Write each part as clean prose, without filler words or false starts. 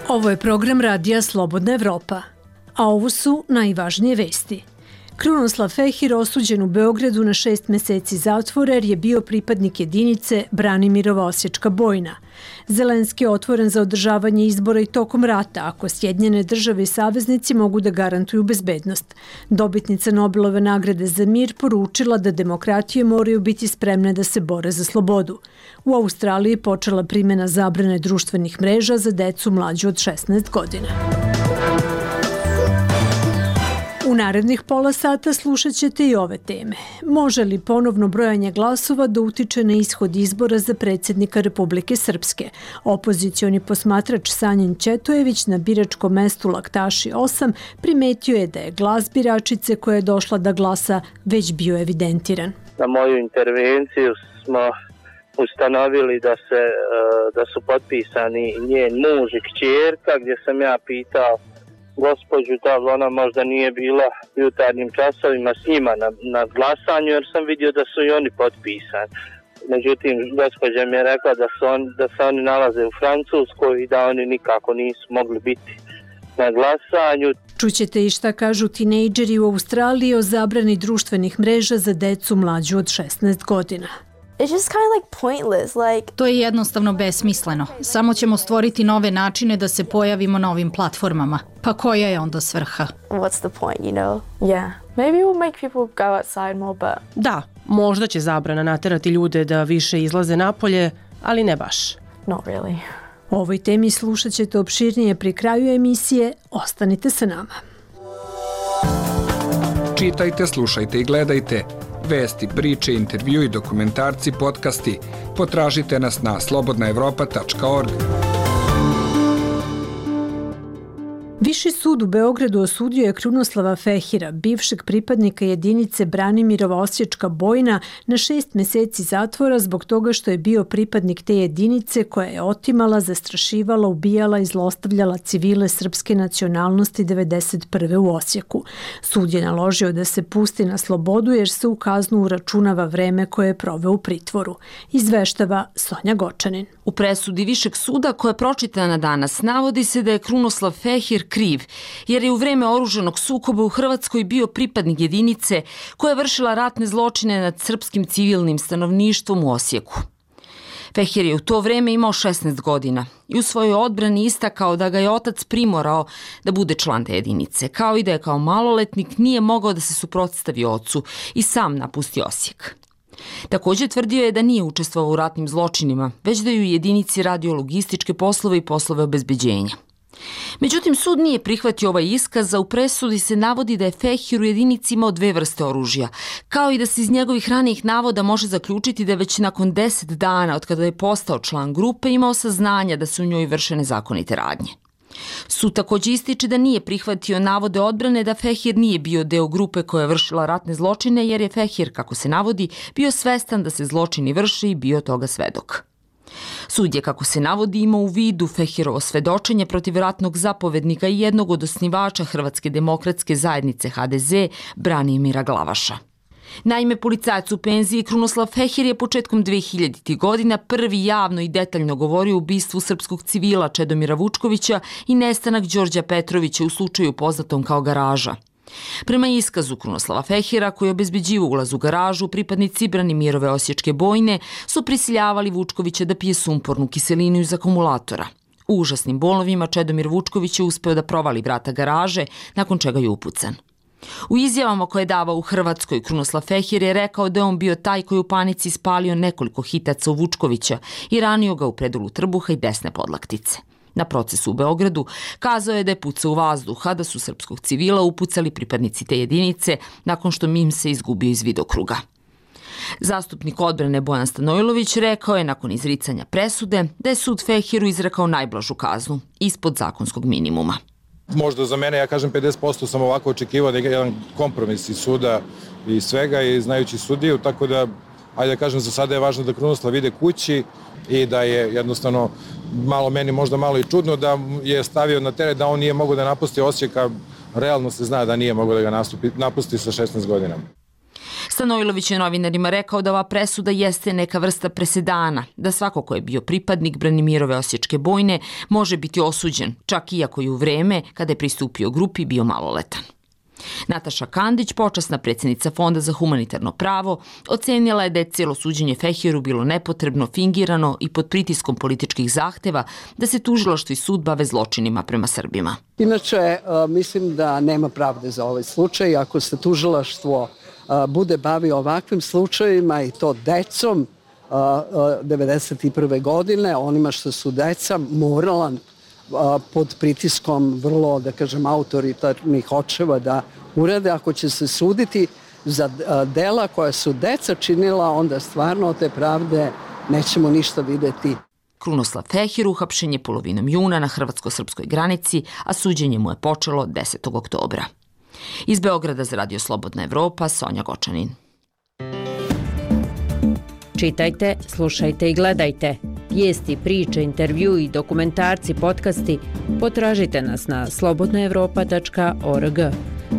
Ovo je program radija Slobodna Evropa, a ovo su najvažnije vesti. Krunoslav Fehir osuđen u Beogradu na 6 meseci zatvora jer je bio pripadnik jedinice Branimirova Osječka bojna. Zelenski je otvoren za održavanje izbora i tokom rata ako Sjedinjene države i saveznici mogu da garantuju bezbednost. Dobitnica Nobelove nagrade za mir poručila da demokratije moraju biti spremne da se bore za slobodu. U Australiji počela primjena zabrane društvenih mreža za decu mlađu od 16 godina. U narednih pola sata slušat ćete i ove teme. Može li ponovno brojanje glasova da utiče na ishod izbora za predsjednika Republike Srpske? Opozicioni posmatrač Sanjin Ćetojević na biračkom mestu Laktaši 8 primetio je da je glas biračice koja je došla da glasa već bio evidentiran. Na moju intervenciju smo ustanovili da su potpisani njen muž i kćerka, gdje sam ja pitao gospođu da li ona možda nije bila u jutarnjim časovima s njima na glasanju, jer sam vidio da su i oni potpisani. Međutim, gospođa mi je rekla da se oni nalaze u Francuskoj i da oni nikako nisu mogli biti na glasanju. Čućete i šta kažu tinejdžeri u Australiji o zabrani društvenih mreža za decu mlađu od 16 godina. It's just kind of like pointless, like... To je jednostavno besmisleno. Samo ćemo stvoriti nove načine da se pojavimo na ovim platformama. Pa koja je onda svrha? What's the point, you know? Yeah. Maybe we'll make people go outside more, but... Da, možda će zabrana naterati ljude da više izlaze napolje, ali ne baš. Not really. O ovoj temi slušat ćete opširnije pri kraju emisije. Ostanite sa nama. Čitajte, slušajte i gledajte. Vesti, priče, intervju i dokumentarci, podcasti. Potražite nas na slobodnaevropa.org. Viši sud u Beogradu osudio je Krunoslava Fehira, bivšeg pripadnika jedinice Branimirova Osječka bojna, na 6 meseci zatvora zbog toga što je bio pripadnik te jedinice koja je otimala, zastrašivala, ubijala i zlostavljala civile srpske nacionalnosti 1991. u Osijeku. Sud je naložio da se pusti na slobodu jer se u kaznu uračunava vreme koje je proveo u pritvoru. Izveštava Sonja Gočanin. U presudi Višeg suda koja je pročitana danas navodi se da je Krunoslav Fehir kriv, jer je u vreme oružanog sukoba u Hrvatskoj bio pripadnik jedinice koja je vršila ratne zločine nad srpskim civilnim stanovništvom u Osijeku. Fehir je u to vreme imao 16 godina i u svojoj odbrani istakao da ga je otac primorao da bude član te jedinice, kao i da je kao maloletnik nije mogao da se suprotstavi ocu i sam napusti Osijek. Također tvrdio je da nije učestvovao u ratnim zločinima, već da je u jedinici radio logističke poslove i poslove obezbeđenja. Međutim, sud nije prihvatio ovaj iskaz, a u presudi se navodi da je Fehir u jedinici imao 2 vrste oružja, kao i da se iz njegovih ranijih navoda može zaključiti da je već nakon 10 dana od kada je postao član grupe imao saznanja da su u njoj vršene zakonite radnje. Sud također ističe da nije prihvatio navode odbrane da Fehir nije bio deo grupe koja je vršila ratne zločine, jer je Fehir, kako se navodi, bio svestan da se zločini vrše i bio toga svedok. Sud je, kako se navodi, imao u vidu Fehirovo svedočenje protiv ratnog zapovednika i jednog od osnivača Hrvatske demokratske zajednice HDZ, Branimira Glavaša. Naime, policajac u penziji Krunoslav Fehir je početkom 2000. godina prvi javno i detaljno govorio o ubistvu srpskog civila Čedomira Vučkovića i nestanak Đorđa Petrovića u slučaju poznatom kao Garaža. Prema iskazu Krunoslava Fehira, koji je obezbeđivao ulaz u garažu, pripadnici Branimirove Osječke bojne su prisiljavali Vučkovića da pije sumpornu kiselinu iz akumulatora. U užasnim bolovima Čedomir Vučković je uspeo da provali vrata garaže, nakon čega je upucan. U izjavama koje je davao u Hrvatskoj, Krunoslav Fehir je rekao da je on bio taj koji u panici spalio nekoliko hitaca u Vučkovića i ranio ga u predolu trbuha i desne podlaktice. Na procesu u Beogradu kazao je da je pucao u vazduh, a da su srpskog civila upucali pripadnici te jedinice nakon što im se izgubio iz vidokruga. Zastupnik odbrane Bojan Stanojlović rekao je nakon izricanja presude da je sud Fehiru izrekao najblažu kaznu, ispod zakonskog minimuma. Možda za mene, ja kažem 50% sam ovako očekivao da je jedan kompromis iz suda i svega i znajući sudiju, tako da, ajde da kažem, za sada je važno da Krunoslav ide kući i da je jednostavno meni možda malo i čudno da je stavio na teret da on nije mogao da napusti Osijek, a realno se zna da nije mogao da ga napusti sa 16 godina. Stanojlović je novinarima rekao da ova presuda jeste neka vrsta presedana, da svako ko je bio pripadnik Branimirove osječke bojne može biti osuđen, čak iako je u vreme kada je pristupio grupi bio maloletan. Nataša Kandić, počasna predsjednica Fonda za humanitarno pravo, ocenila je da je cijelo suđenje Fehiru bilo nepotrebno, fingirano i pod pritiskom političkih zahteva da se tužilaštvo i sud bave zločinima prema Srbima. Inače, mislim da nema pravde za ovaj slučaj. Ako se tužilaštvo bude bavio ovakvim slučajevima i to decom 1991. godine, onima što su deca morala pod pritiskom vrlo, da kažem, autoritarnih očeva da urade. Ako će se suditi za dela koja su deca činila, onda stvarno od te pravde nećemo ništa videti. Krunoslav Fehir uhapšen je polovinom juna na hrvatsko-srpskoj granici, a suđenje mu je počelo 10. oktobra. Iz Beograda za Radio Slobodna Evropa, Sonja Gočanin. Čitajte, slušajte i gledajte. Vijesti, priče, intervju i dokumentarci, podcasti potražite nas na slobodnaevropa.org.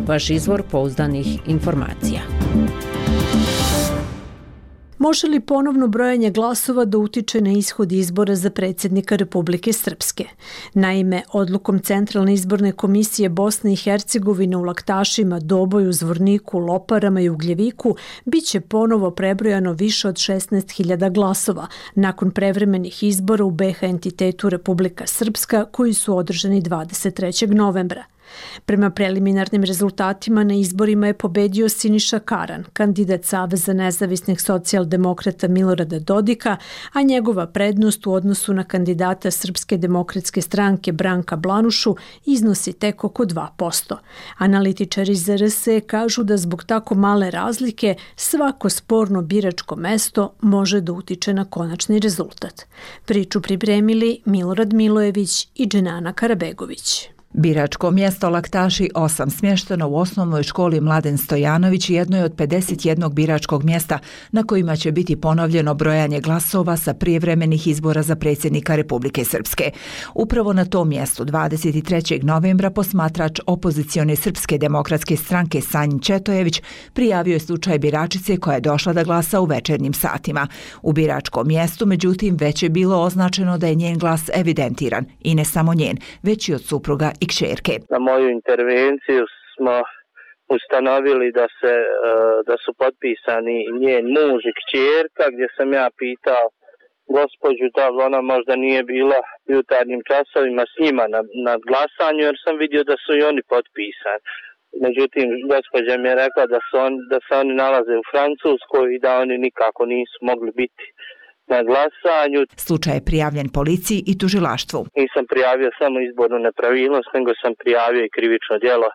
Vaš izvor pouzdanih informacija. Može li ponovno brojanje glasova da utiče na ishod izbora za predsjednika Republike Srpske? Naime, odlukom Centralne izborne komisije Bosne i Hercegovine u Laktašima, Doboju, Zvorniku, Loparama i Ugljeviku biće ponovo prebrojano više od 16.000 glasova nakon prevremenih izbora u BiH entitetu Republika Srpska koji su održani 23. novembra. Prema preliminarnim rezultatima na izborima je pobedio Siniša Karan, kandidat Saveza nezavisnih socijaldemokrata Milorada Dodika, a njegova prednost u odnosu na kandidata Srpske demokratske stranke Branka Blanušu iznosi tek oko 2%. Analitičari iz RS kažu da zbog tako male razlike svako sporno biračko mesto može da utiče na konačni rezultat. Priču pripremili Milorad Milojević i Dženana Karabegović. Biračko mjesto Laktaši 8 smješteno u osnovnoj školi Mladen Stojanović jedno je od 51 biračkog mjesta na kojima će biti ponovljeno brojanje glasova sa prijevremenih izbora za predsjednika Republike Srpske. Upravo na tom mjestu 23. novembra posmatrač opozicione Srpske demokratske stranke Sanjin Četojević prijavio je slučaj biračice koja je došla da glasa u večernjim satima. U biračkom mjestu, međutim, već je bilo označeno da je njen glas evidentiran i ne samo njen, već i od supruga i kćerke. Na moju intervenciju smo ustanovili da su potpisani njen muž i kćerka, gdje sam ja pitao gospođu da li ona možda nije bila u jutarnjim časovima s njima na glasanju, jer sam vidio da su i oni potpisani. Međutim, gospođa mi je rekla da se oni nalaze u Francuskoj i da oni nikako nisu mogli biti na glasanju. Slučaj je prijavljen policiji i tužilaštvu. Nisam prijavio samo izbornu nepravilnost, nego sam prijavio i krivično djelo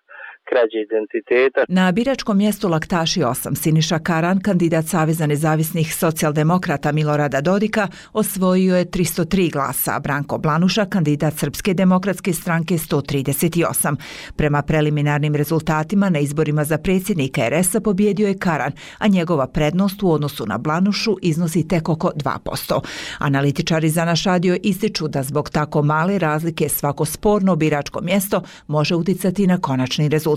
krađe identiteta. Na biračkom mjestu Laktaši 8 Siniša Karan, kandidat Saveza nezavisnih socijaldemokrata Milorada Dodika, osvojio je 303 glasa, a Branko Blanuša, kandidat Srpske demokratske stranke 138. Prema preliminarnim rezultatima na izborima za predsjednika RS-a pobjedio je Karan, a njegova prednost u odnosu na Blanušu iznosi tek oko 2%. Analitičari za naš radio ističu da zbog tako male razlike svako sporno biračko mjesto može uticati na konačni rezultat.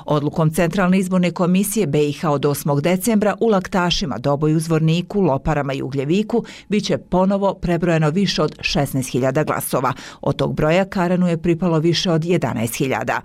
Odlukom Centralne izborne komisije BiH od 8. decembra u Laktašima, Doboju, Zvorniku, Loparama i Ugljeviku biće ponovo prebrojeno više od 16.000 glasova. Od tog broja Karanu je pripalo više od 11.000.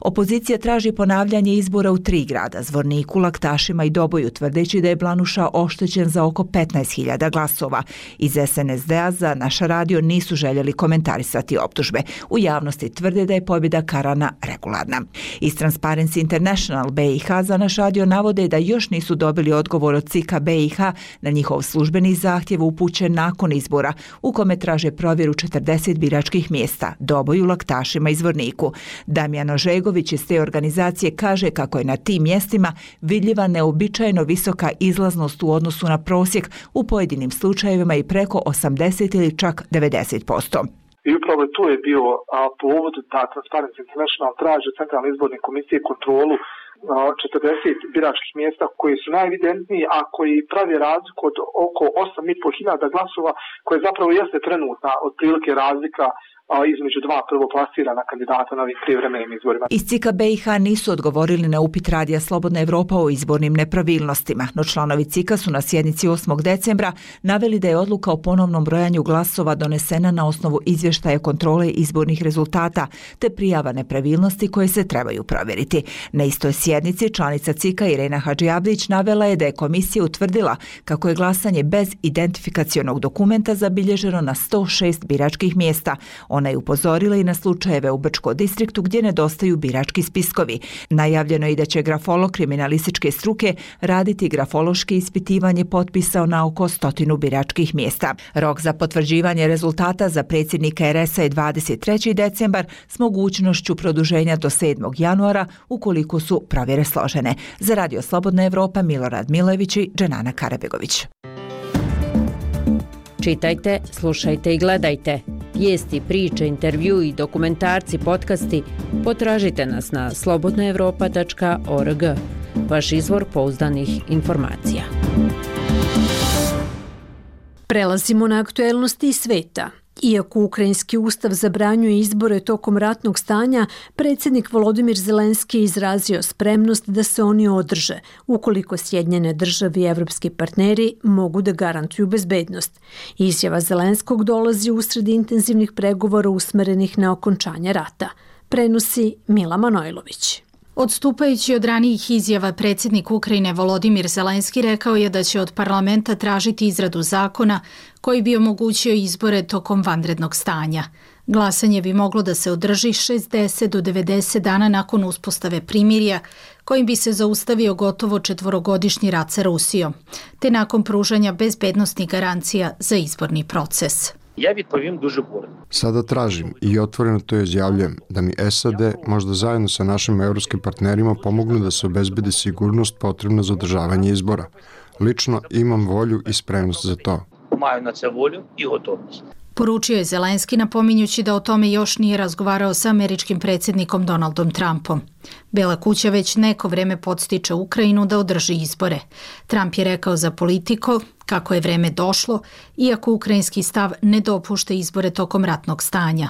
Opozicija traži ponavljanje izbora u 3 grada, Zvorniku, Laktašima i Doboju, tvrdeći da je Blanuša oštećen za oko 15.000 glasova. Iz SNSD-a za naš radio nisu željeli komentarisati optužbe. U javnosti tvrde da je pobjeda Karana regularna. Iz Transparency International BiH za naš radio navode da još nisu dobili odgovor od CIK-a BiH na njihov službeni zahtjev upućen nakon izbora, u kome traže provjeru 40 biračkih mjesta, Doboju, Laktašima i Zvorniku. Damjan Ožegović iz te organizacije kaže kako je na tim mjestima vidljiva neobičajno visoka izlaznost u odnosu na prosjek, u pojedinim slučajevima i preko 80 ili čak 90%. I upravo tu je bio povod da Transparency International traži Centralne izborne komisije kontrolu 40 biračkih mjesta koji su najevidentniji, a koji pravi razliku od oko 8.500 glasova, koje zapravo jeste trenutna otprilike razlika između dva prvoplasirana kandidata na ovim privremenim izborima. Iz CIK-a BiH nisu odgovorili na upit Radija Slobodna Evropa o izbornim nepravilnostima, no članovi CIK-a su na sjednici 8. decembra naveli da je odluka o ponovnom brojanju glasova donesena na osnovu izvještaja kontrole izbornih rezultata te prijava nepravilnosti koje se trebaju provjeriti. Na istoj sjednici članica CIK-a Irena Hadžiabdić navela je da je komisija utvrdila kako je glasanje bez identifikacionog dokumenta zabilježeno na 106 biračkih mjesta. Ona je upozorila i na slučajeve u Brčko distriktu gdje nedostaju birački spiskovi. Najavljeno je i da će grafolog kriminalističke struke raditi grafološke ispitivanje potpisa na oko 100 biračkih mjesta. Rok za potvrđivanje rezultata za predsjednika RS-a je 23. decembar s mogućnošću produženja do 7. januara ukoliko su provjere složene. Za Radio Slobodna Evropa Milorad Milević i Dženana Karabegović. Čitajte, slušajte i gledajte. Vijesti, priče, intervju i dokumentarci, podcasti potražite nas na slobodnaevropa.org. Vaš izvor pouzdanih informacija. Prelazimo na aktuelnosti iz sveta. Iako ukrajinski ustav zabranjuje izbore tokom ratnog stanja, predsjednik Volodimir Zelenski je izrazio spremnost da se oni održe, ukoliko Sjedinjene države i evropski partneri mogu da garantuju bezbednost. Izjava Zelenskog dolazi usred intenzivnih pregovora usmerenih na okončanje rata. Prenosi Mila Manojlović. Odstupajući od ranijih izjava, predsjednik Ukrajine Volodimir Zelenski rekao je da će od parlamenta tražiti izradu zakona koji bi omogućio izbore tokom vanrednog stanja. Glasanje bi moglo da se održi 60 do 90 dana nakon uspostave primirja, kojim bi se zaustavio gotovo 4-godišnji rat sa Rusijom, te nakon pružanja bezbednosnih garancija za izborni proces. Ja відповім дуже коротко. Sada tražim i otvoreno to izjavljujem da mi SAD možda zajedno sa našim evropskim partnerima pomognu da se obezbedi sigurnost potrebna za održavanje izbora. Lično imam volju i spremnost za to. Маю на це волю і готовність. Poručio je Zelenski napominjući da o tome još nije razgovarao sa američkim predsjednikom Donaldom Trumpom. Bela kuća već neko vreme podstiče Ukrajinu da održi izbore. Trump je rekao za Politico kako je vreme došlo, iako ukrajinski stav ne dopušta izbore tokom ratnog stanja.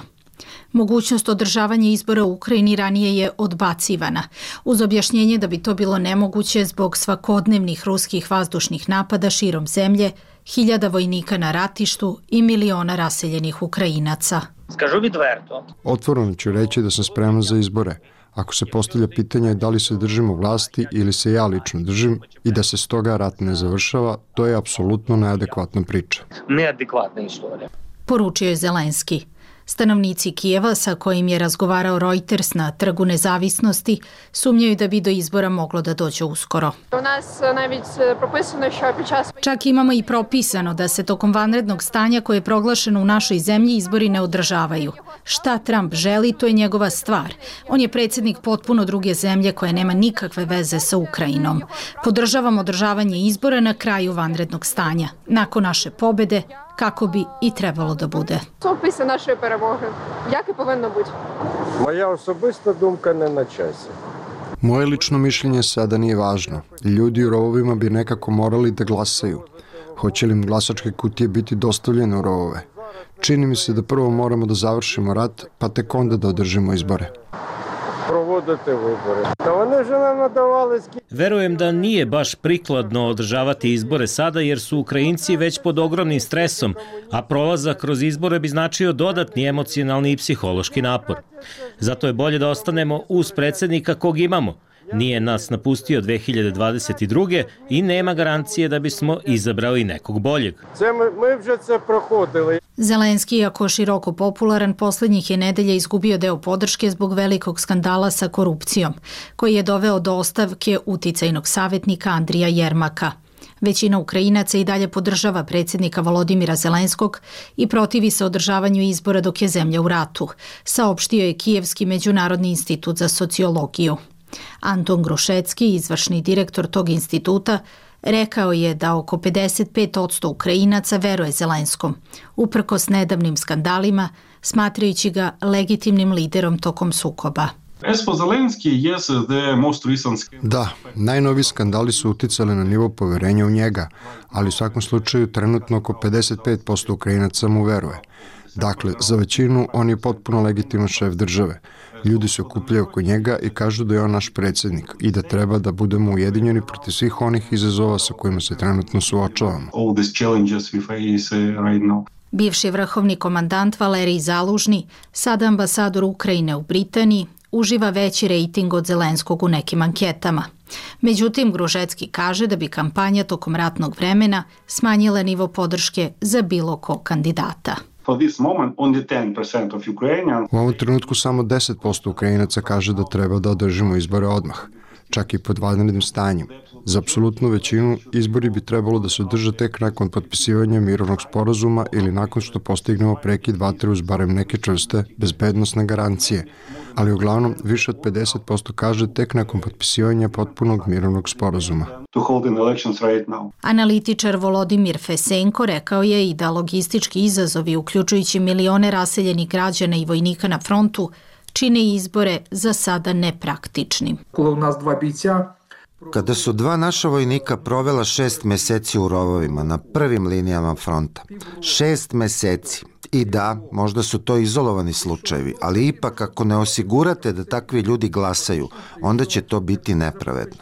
Mogućnost održavanja izbora u Ukrajini ranije je odbacivana, uz objašnjenje da bi to bilo nemoguće zbog svakodnevnih ruskih vazdušnih napada širom zemlje, 1000 vojnika na ratištu i miliona raseljenih Ukrajinaca. Скажу відверто. Otvoreno ću reći da sam spreman za izbore. Ako se postavlja pitanje da li se držimo vlasti ili se ja lično držim i da se stoga rat ne završava, to je apsolutno neadekvatna priča. Neadekvatna istorija. Poručio je Zelenski. Stanovnici Kijeva, sa kojim je razgovarao Reuters na Trgu Nezavisnosti, sumnjaju da bi do izbora moglo da dođe uskoro. Čak imamo i propisano da se tokom vanrednog stanja koje je proglašeno u našoj zemlji izbori ne održavaju. Šta Trump želi, to je njegova stvar. On je predsjednik potpuno druge zemlje koja nema nikakve veze sa Ukrajinom. Podržavam održavanje izbora na kraju vanrednog stanja, nakon naše pobede, kako bi i trebalo da bude. Що після нашої перемоги? Як і повинно бути? Моя особиста думка не на часі. Moje lično mišljenje sada nije važno. Ljudi u rovovima bi nekako morali da glasaju. Hoće li im glasačke kutije biti dostavljene u rovove? Čini mi se da prvo moramo da završimo rat, pa tek onda da održimo izbore. Проводити вибори. Та вони вже нам надавали... Verujem da nije baš prikladno održavati izbore sada jer su Ukrajinci već pod ogromnim stresom, a prolazak kroz izbore bi značio dodatni emocionalni i psihološki napor. Zato je bolje da ostanemo uz predsjednika kog imamo. Nije nas napustio 2022. i nema garancije da bismo izabrali nekog boljeg. Ми вже це проходили. Zelenski, iako široko popularan, posljednjih je nedelja izgubio deo podrške zbog velikog skandala sa korupcijom, koji je doveo do ostavke uticajnog savjetnika Andrija Jermaka. Većina Ukrajinaca i dalje podržava predsjednika Volodimira Zelenskog i protivi se održavanju izbora dok je zemlja u ratu, saopštio je Kijevski međunarodni institut za sociologiju. Anton Grušecki, izvršni direktor tog instituta, rekao je da oko 55% Ukrajinaca veruje Zelenskom, uprkos nedavnim skandalima, smatrajući ga legitimnim liderom tokom sukoba. Da, najnoviji skandali su uticali na nivo poverenja u njega, ali u svakom slučaju trenutno oko 55% Ukrajinaca mu veruje. Dakle, za većinu on je potpuno legitiman šef države. Ljudi se okupljaju oko njega i kažu da je on naš predsjednik i da treba da budemo ujedinjeni protiv svih onih izazova sa kojima se trenutno suočavamo. Bivši vrhovni komandant Valerij Zalužni, sada ambasador Ukrajine u Britaniji, uživa veći rejting od Zelenskog u nekim anketama. Međutim, Gružecki kaže da bi kampanja tokom ratnog vremena smanjila nivo podrške za bilo kog kandidata. U ovom trenutku samo 10% Ukrajinaca kaže da treba da održimo izbore odmah, čak i pod vanrednim stanjem. Za apsolutnu većinu izbori bi trebalo da se održe tek nakon potpisivanja mirovnog sporazuma ili nakon što postignemo prekid vatre uz barem neke čvrste bezbednosne garancije, ali uglavnom više od 50% kaže tek nakon potpisivanja potpunog mirovnog sporazuma. Analitičar Volodimir Fesenko rekao je i da logistički izazovi, uključujući milione raseljenih građana i vojnika na frontu, čine izbore za sada nepraktičnim. Kada su dva naša vojnika provela 6 meseci u rovovima na prvim linijama fronta, 6 meseci, i da, možda su to izolovani slučajevi, ali ipak ako ne osigurate da takvi ljudi glasaju, onda će to biti nepravedno.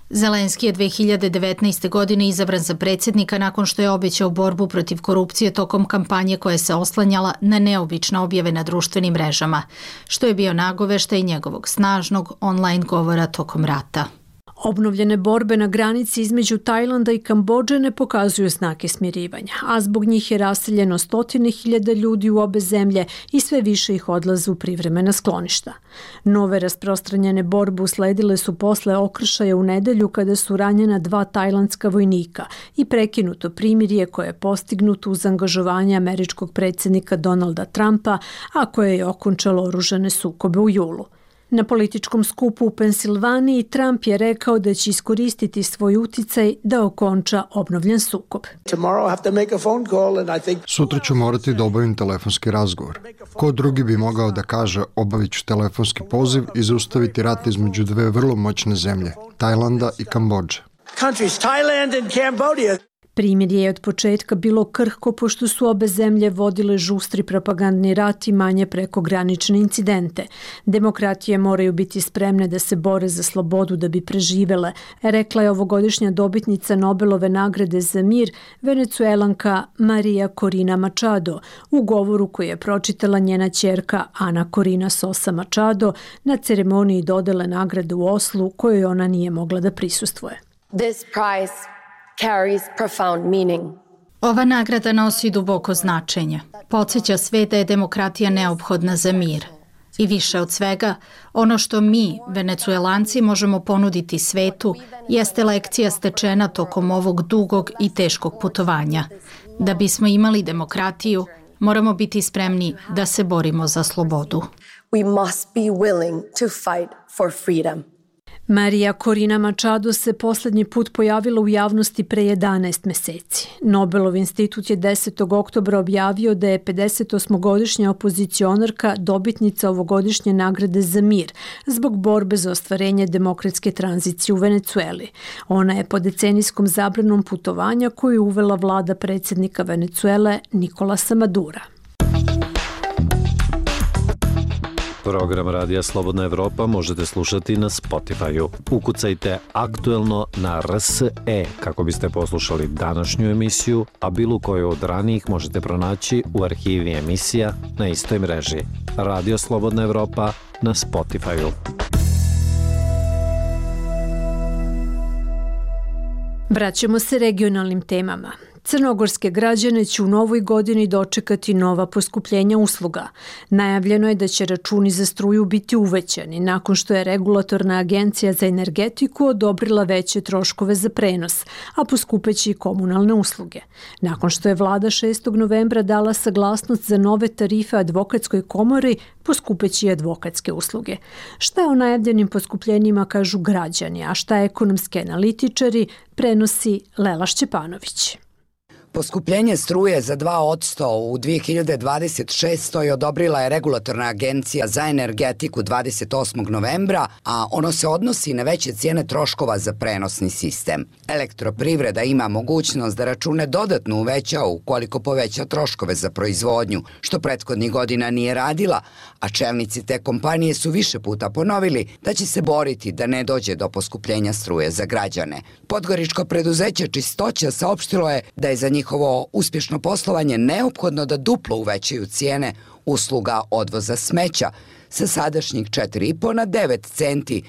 Zelenski je 2019. godine izabran za predsjednika nakon što je obećao borbu protiv korupcije tokom kampanje koja se oslanjala na neobične objave na društvenim mrežama, što je bio nagoveštaj njegovog snažnog online govora tokom rata. Obnovljene borbe na granici između Tajlanda i Kambodže ne pokazuju znake smirivanja, a zbog njih je raseljeno 100.000 ljudi u obe zemlje i sve više ih odlaze u privremena skloništa. Nove rasprostranjene borbe usledile su posle okršaja u nedelju kada su ranjena 2 tajlandska vojnika i prekinuto primirje koje je postignuto uz angažovanje američkog predsjednika Donalda Trumpa, a koje je okončalo oružane sukobe u julu. Na političkom skupu u Pensilvaniji Trump je rekao da će iskoristiti svoj uticaj da okonča obnovljen sukob. Sutra ću morati da obavim telefonski razgovor. Ko drugi bi mogao da kaže obavit ću telefonski poziv i zaustaviti rat između dve vrlo moćne zemlje, Tajlanda i Kambodže. Primirje je od početka bilo krhko pošto su obe zemlje vodile žustri propagandni rat i manje prekogranične incidente. Demokratije moraju biti spremne da se bore za slobodu da bi preživele, rekla je ovogodišnja dobitnica Nobelove nagrade za mir, Venecuelanka Maria Corina Machado, u govoru koji je pročitala njena ćerka Ana Corina Sosa Machado na ceremoniji dodele nagrade u Oslu kojoj ona nije mogla da prisustvuje. This prize carries profound meaning. Ova nagrada nosi duboko značenje. Podsjeća sve da je demokratija neophodna za mir. I više od svega, ono što mi, Venecuelanci, možemo ponuditi svetu jeste lekcija stečena tokom ovog dugog i teškog putovanja. Da bismo imali demokratiju, moramo biti spremni da se borimo za slobodu. We must be willing to fight for freedom. Maria Corina Machado se posljednji put pojavila u javnosti pre 11 meseci. Nobelov institut je 10. oktobra objavio da je 58-godišnja opozicionarka dobitnica ovogodišnje nagrade za mir zbog borbe za ostvarenje demokratske tranzicije u Venecueli. Ona je po decenijskom zabranom putovanja koju je uvela vlada predsjednika Venecuele Nikolasa Madura. Program Radija Slobodna Evropa možete slušati na Spotify-u. Ukucajte aktuelno na RSE kako biste poslušali današnju emisiju, a bilo koju od ranijih možete pronaći u arhivi emisija na istoj mreži. Radio Slobodna Evropa na Spotify-u. Vraćamo se regionalnim temama. Crnogorske građane će u novoj godini dočekati nova poskupljenja usluga. Najavljeno je da će računi za struju biti uvećani nakon što je Regulatorna agencija za energetiku odobrila veće troškove za prenos, a poskupeće i komunalne usluge. Nakon što je vlada 6. novembra dala saglasnost za nove tarife advokatskoj komori, poskupeće i advokatske usluge. Šta o najavljenim poskupljenjima kažu građani, a šta ekonomski analitičari, prenosi Lela Šćepanović. Poskupljenje struje za 2% u 2026. odobrila je Regulatorna agencija za energetiku 28. novembra, a ono se odnosi na veće cijene troškova za prenosni sistem. Elektroprivreda ima mogućnost da račune dodatno uveća ukoliko poveća troškove za proizvodnju, što prethodnih godina nije radila, a čelnici te kompanije su više puta ponovili da će se boriti da ne dođe do poskupljenja struje za građane. Podgoričko preduzeće Čistoća saopštilo je da je za njihovo uspješno poslovanje neophodno da duplo uvećaju cijene usluga odvoza smeća sa sadašnjih 4,5 na 9 centi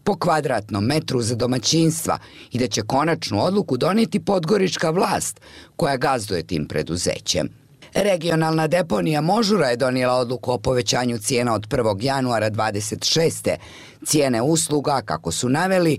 po kvadratnom metru za domaćinstva i da će konačnu odluku donijeti podgorička vlast koja gazduje tim preduzećem. Regionalna deponija Možura je donijela odluku o povećanju cijena od 1. januara 26. Cijene usluga, kako su naveli,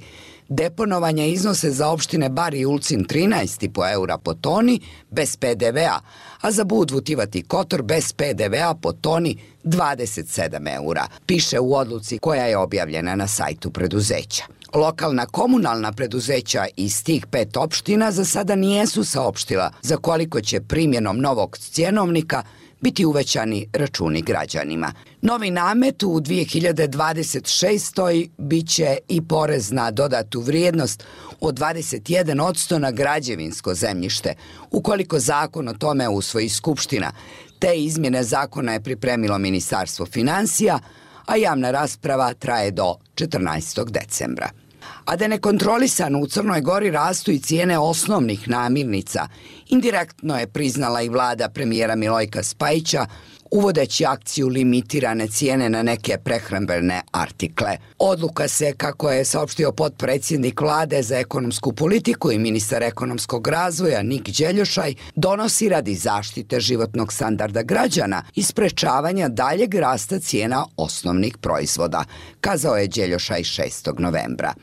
deponovanja iznose za opštine Bar i Ulcin 13,5 eura po toni bez PDV-a, a za Budvu, Tivat i Kotor bez PDV-a po toni 27 eura, piše u odluci koja je objavljena na sajtu preduzeća. Lokalna komunalna preduzeća iz tih 5 opština za sada nijesu saopštila za koliko će primjenom novog cjenovnika biti uvećani računi građanima. Novi namet u 2026. biće i porez na dodatu vrijednost od 21% na građevinsko zemljište, ukoliko zakon o tome usvoji Skupština. Te izmjene zakona je pripremilo Ministarstvo finansija, a javna rasprava traje do 14. decembra. A da nekontrolisano u Crnoj Gori rastu i cijene osnovnih namirnica, indirektno je priznala i vlada premijera Milojka Spajića, uvodeći akciju limitirane cijene na neke prehrambene artikle. Odluka se, kako je saopštio potpredsjednik vlade za ekonomsku politiku i ministar ekonomskog razvoja Nik Đeljošaj, donosi radi zaštite životnog standarda građana i sprečavanja daljeg rasta cijena osnovnih proizvoda, kazao je Đeljošaj 6. novembra.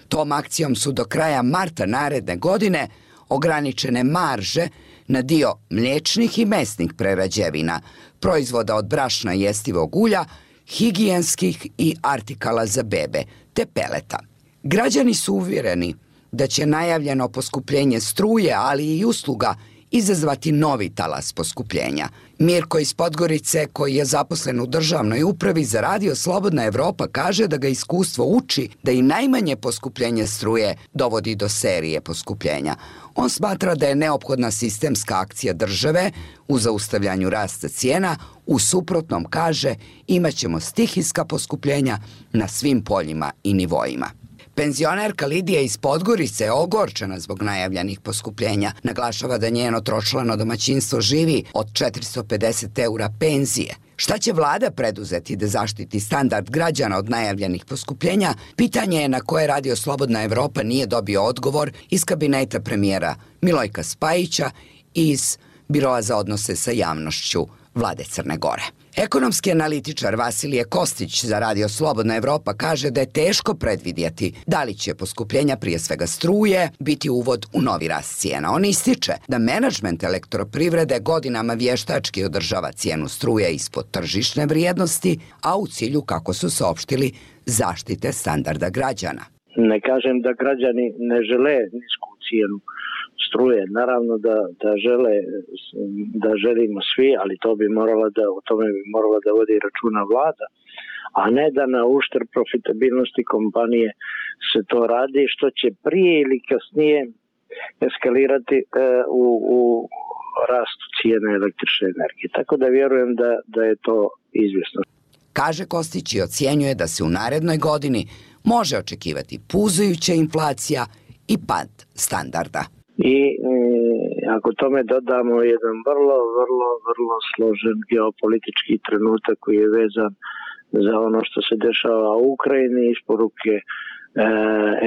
Tom akcijom su do kraja marta naredne godine ograničene marže na dio mliječnih i mesnih prerađevina, proizvoda od brašna i jestivog ulja, higijenskih i artikala za bebe, te peleta. Građani su uvjereni da će najavljeno poskupljenje struje, ali i usluga, izazvati novi talas poskupljenja. Mirko iz Podgorice, koji je zaposlen u državnoj upravi za Radio Slobodna Evropa, kaže da ga iskustvo uči da i najmanje poskupljenje struje dovodi do serije poskupljenja. On smatra da je neophodna sistemska akcija države u zaustavljanju rasta cijena, u suprotnom, kaže, imaćemo stihijska poskupljenja na svim poljima i nivoima. Penzionerka Lidija iz Podgorice je ogorčena zbog najavljenih poskupljenja. Naglašava da njeno tročlano domaćinstvo živi od 450 eura penzije. Šta će vlada preduzeti da zaštiti standard građana od najavljenih poskupljenja? Pitanje je na koje Radio Slobodna Evropa nije dobio odgovor iz kabineta premijera Milojka Spajića i iz Biroa za odnose sa javnošću vlade Crne Gore. Ekonomski analitičar Vasilije Kostić za Radio Slobodna Evropa kaže da je teško predvidjeti da li će poskupljenja, prije svega struje, biti uvod u novi rast cijena. On ističe da menadžment elektroprivrede godinama vještački održava cijenu struje ispod tržišne vrijednosti, a u cilju, kako su saopštili, zaštite standarda građana. Ne kažem da građani ne žele nisku cijenu struje, naravno da želimo svi, ali o tome bi morala da vodi računa vlada, a ne da na uštrb profitabilnosti kompanije se to radi, što će prije ili kasnije eskalirati u rastu cijene električne energije. Tako da vjerujem da je to izvjesno. Kaže Kostić i ocjenjuje da se u narednoj godini može očekivati puzajuća inflacija i pad standarda. I ako tome dodamo jedan vrlo složen geopolitički trenutak koji je vezan za ono što se dešava u Ukrajini, isporuke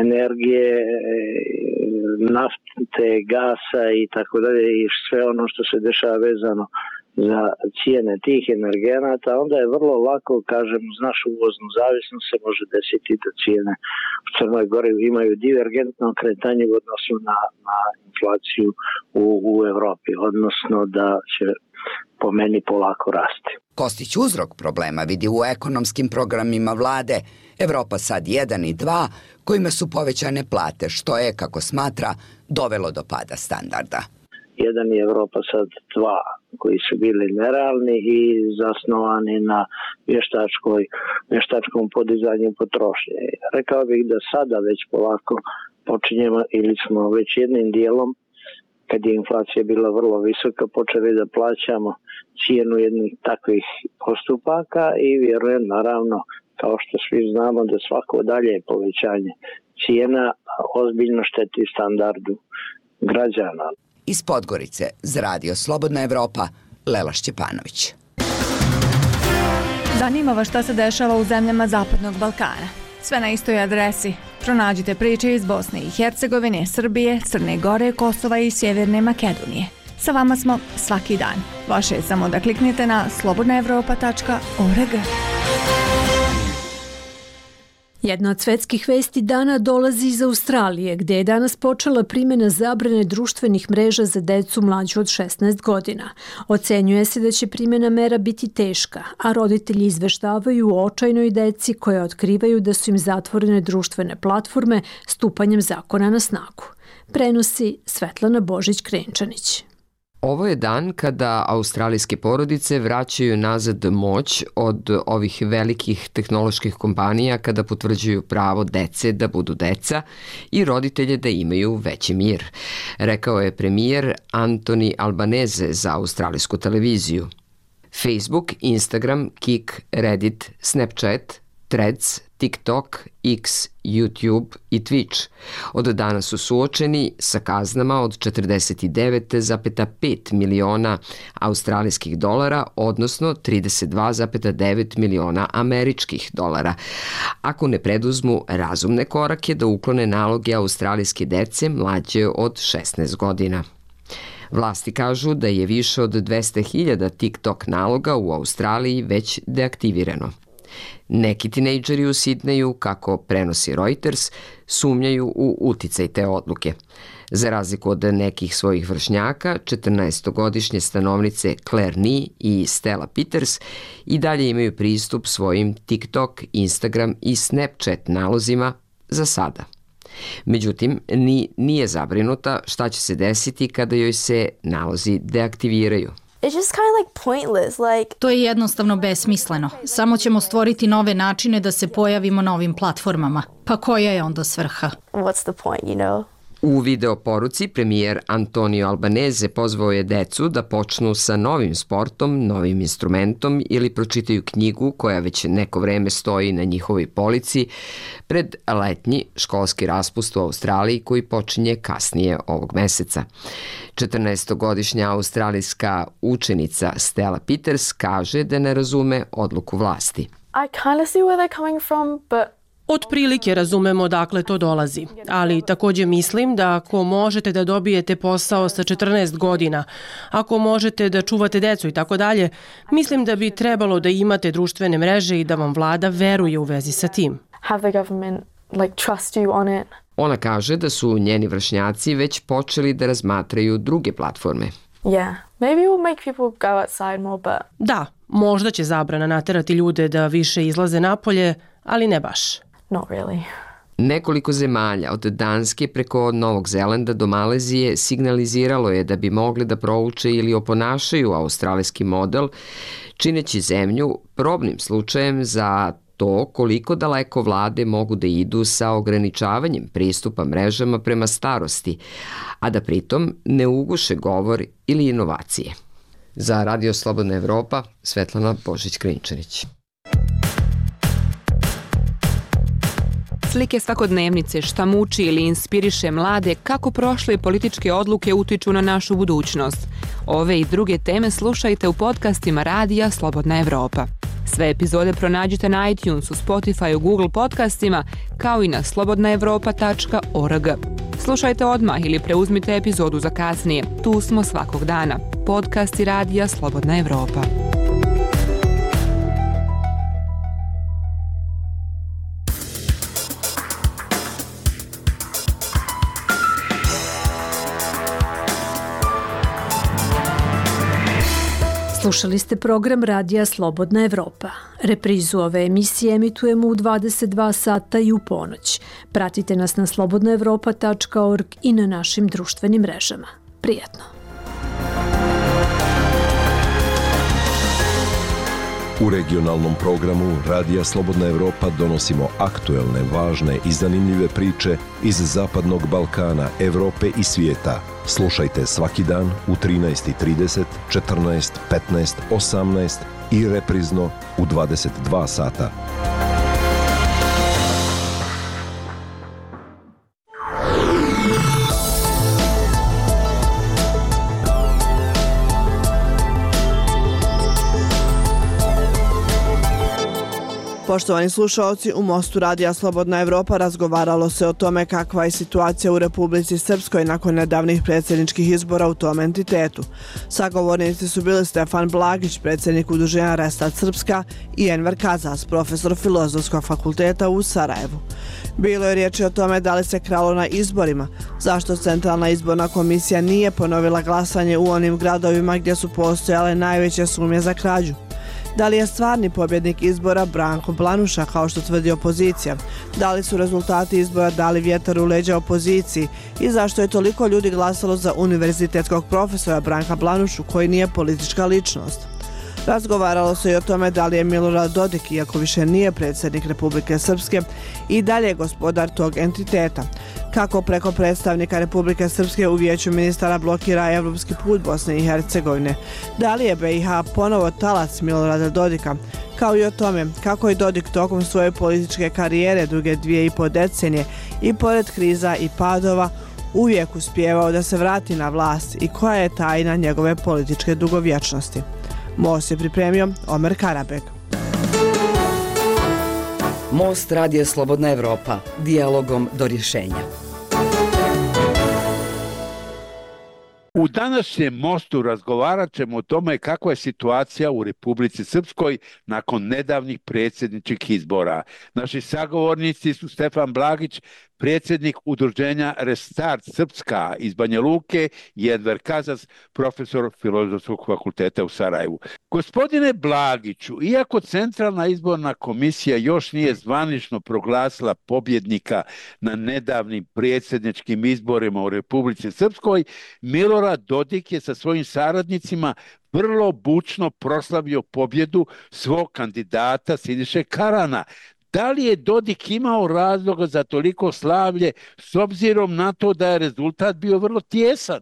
energije, nafte, gasa i tako dalje, i sve ono što se dešava vezano za cijene tih energenata, onda je vrlo lako, kažem, uz našu uvoznu zavisnost se može desiti da cijene u Crnoj Gori imaju divergentno kretanje u odnosu na inflaciju u Evropi, odnosno da će po meni polako rasti. Kostić uzrok problema vidi u ekonomskim programima vlade Evropa sad 1 i 2, kojima su povećane plate, što je, kako smatra, dovelo do pada standarda. jedan i Evropa sad 2, koji su bili nerealni i zasnovani na vještačkom podizanju potrošnje. Rekao bih da sada već polako počinjemo ili smo već jednim dijelom, kad je inflacija bila vrlo visoka, počeli da plaćamo cijenu jednih takvih postupaka i vjerujem naravno, kao što svi znamo, da svako dalje povećanje cijena ozbiljno šteti standardu građana. Iz Podgorice za Radio Slobodna Evropa, Lela Šćepanović. Zanima vas šta se dešava u zemljama Zapadnog Balkana? Sve na istoj adresi. Pronađite priče iz Bosne i Hercegovine, Srbije, Crne Gore, Kosova i Sjeverne Makedonije. Sa vama smo svaki dan. Vaše je samo da kliknete na slobodnaevropa.org. Jedna od svetskih vesti dana dolazi iz Australije, gdje je danas počela primjena zabrane društvenih mreža za decu mlađu od 16 godina. Ocenjuje se da će primjena mera biti teška, a roditelji izveštavaju o očajnoj deci koje otkrivaju da su im zatvorene društvene platforme stupanjem zakona na snagu. Prenosi Svetlana Božić-Krenčanić. Ovo je dan kada australijske porodice vraćaju nazad moć od ovih velikih tehnoloških kompanija kada potvrđuju pravo dece da budu deca i roditelje da imaju veći mir, rekao je premijer Anthony Albanese za australijsku televiziju. Facebook, Instagram, Kik, Reddit, Snapchat, Threads, TikTok, X, YouTube i Twitch od dana su suočeni sa kaznama od 49,5 miliona australijskih dolara, odnosno 32,9 miliona američkih dolara, ako ne preduzmu razumne korake da uklone naloge australijske dece mlađe od 16 godina. Vlasti kažu da je više od 200.000 TikTok naloga u Australiji već deaktivirano. Neki tinejdžeri u Sidneju, kako prenosi Reuters, sumnjaju u uticaj te odluke. Za razliku od nekih svojih vršnjaka, 14-godišnje stanovnice Claire Ni i Stella Peters i dalje imaju pristup svojim TikTok, Instagram i Snapchat nalozima za sada. Međutim, Ni nije zabrinuta šta će se desiti kada joj se nalozi deaktiviraju. It's just kind of like pointless, like... To je jednostavno besmisleno. Samo ćemo stvoriti nove načine da se pojavimo na ovim platformama. Pa koja je onda svrha? What's the point, you know? U video poruci premijer Antonio Albanese pozvao je decu da počnu sa novim sportom, novim instrumentom ili pročitaju knjigu koja već neko vreme stoji na njihovoj polici pred letnji školski raspust u Australiji koji počinje kasnije ovog meseca. 14-godišnja australijska učenica Stella Peters kaže da ne razume odluku vlasti. I kind of see where they're coming from, but Otprilike razumemo odakle to dolazi, ali također mislim da ako možete da dobijete posao sa 14 godina, ako možete da čuvate decu i tako dalje, mislim da bi trebalo da imate društvene mreže i da vam vlada veruje u vezi sa tim. Have the government trust you on it. Ona kaže da su njeni vršnjaci već počeli da razmatraju druge platforme. Yeah, maybe it will make people go outside more, but... Da, možda će zabrana naterati ljude da više izlaze napolje, ali ne baš. Not really. Nekoliko zemalja od Danske preko Novog Zelanda do Malezije signaliziralo je da bi mogli da prouče ili oponašaju australijski model, čineći zemlju probnim slučajem za to koliko daleko vlade mogu da idu sa ograničavanjem pristupa mrežama prema starosti, a da pritom ne uguše govor ili inovacije. Za Radio Slobodna Evropa, Svetlana Božić-Krenčanić. Slike svakodnevnice, šta muči ili inspiriše mlade, kako prošle političke odluke utiču na našu budućnost. Ove i druge teme slušajte u podcastima Radija Slobodna Evropa. Sve epizode pronađite na iTunesu, Spotifyu, Google podcastima, kao i na slobodnaevropa.org. Slušajte odmah ili preuzmite epizodu za kasnije. Tu smo svakog dana. Podcasti Radija Slobodna Evropa. Slušali ste program Radija Slobodna Evropa. Reprizu ove emisije emitujemo u 22 sata i u ponoć. Pratite nas na slobodnaevropa.org i na našim društvenim mrežama. Prijatno! U regionalnom programu Radija Slobodna Evropa donosimo aktuelne, važne i zanimljive priče iz Zapadnog Balkana, Evrope i svijeta. Slušajte svaki dan u 13:30, 14, 15, 18 i reprizno u 22 sata. Poštovani slušaoci, u Mostu Radija Slobodna Evropa razgovaralo se o tome kakva je situacija u Republici Srpskoj nakon nedavnih predsjedničkih izbora u tom entitetu. Sagovornici su bili Stefan Blagić, predsjednik udruženja Restart Srpska, i Enver Kazas, profesor Filozofskog fakulteta u Sarajevu. Bilo je riječi o tome da li se kralo na izborima, zašto Centralna izborna komisija nije ponovila glasanje u onim gradovima gdje su postojale najveće sumnje za krađu. Da li je stvarni pobjednik izbora Branko Blanuša, kao što tvrdi opozicija? Da li su rezultati izbora dali vjetar u leđa opoziciji? I zašto je toliko ljudi glasalo za univerzitetskog profesora Branka Blanušu, koji nije politička ličnost? Razgovaralo se i o tome da li je Milorad Dodik, iako više nije predsjednik Republike Srpske, i dalje gospodar tog entiteta. Kako preko predstavnika Republike Srpske u Vijeću ministara blokira evropski put Bosne i Hercegovine? Da li je BiH ponovo talac Milorada Dodika? Kao i o tome kako je Dodik tokom svoje političke karijere duge 2,5 decenije i pored kriza i padova uvijek uspijevao da se vrati na vlast i koja je tajna njegove političke dugovječnosti. Most je pripremio Omer Karabek. Most Radija Slobodna Evropa, dijalogom do rješenja. U današnjem Mostu razgovarat ćemo o tome kakva je situacija u Republici Srpskoj nakon nedavnih predsjedničkih izbora. Naši sagovornici su Stefan Blagić, predsjednik udruženja Restart Srpska iz Banja Luke, i Enver Kazas, profesor Filozofskog fakulteta u Sarajevu. Gospodine Blagiću, iako Centralna izborna komisija još nije zvanično proglasila pobjednika na nedavnim predsjedničkim izborima u Republici Srpskoj, Milorad Dodik je sa svojim saradnicima vrlo bučno proslavio pobjedu svog kandidata Siniše Karana. Da li je Dodik imao razloga za toliko slavlje s obzirom na to da je rezultat bio vrlo tjesan?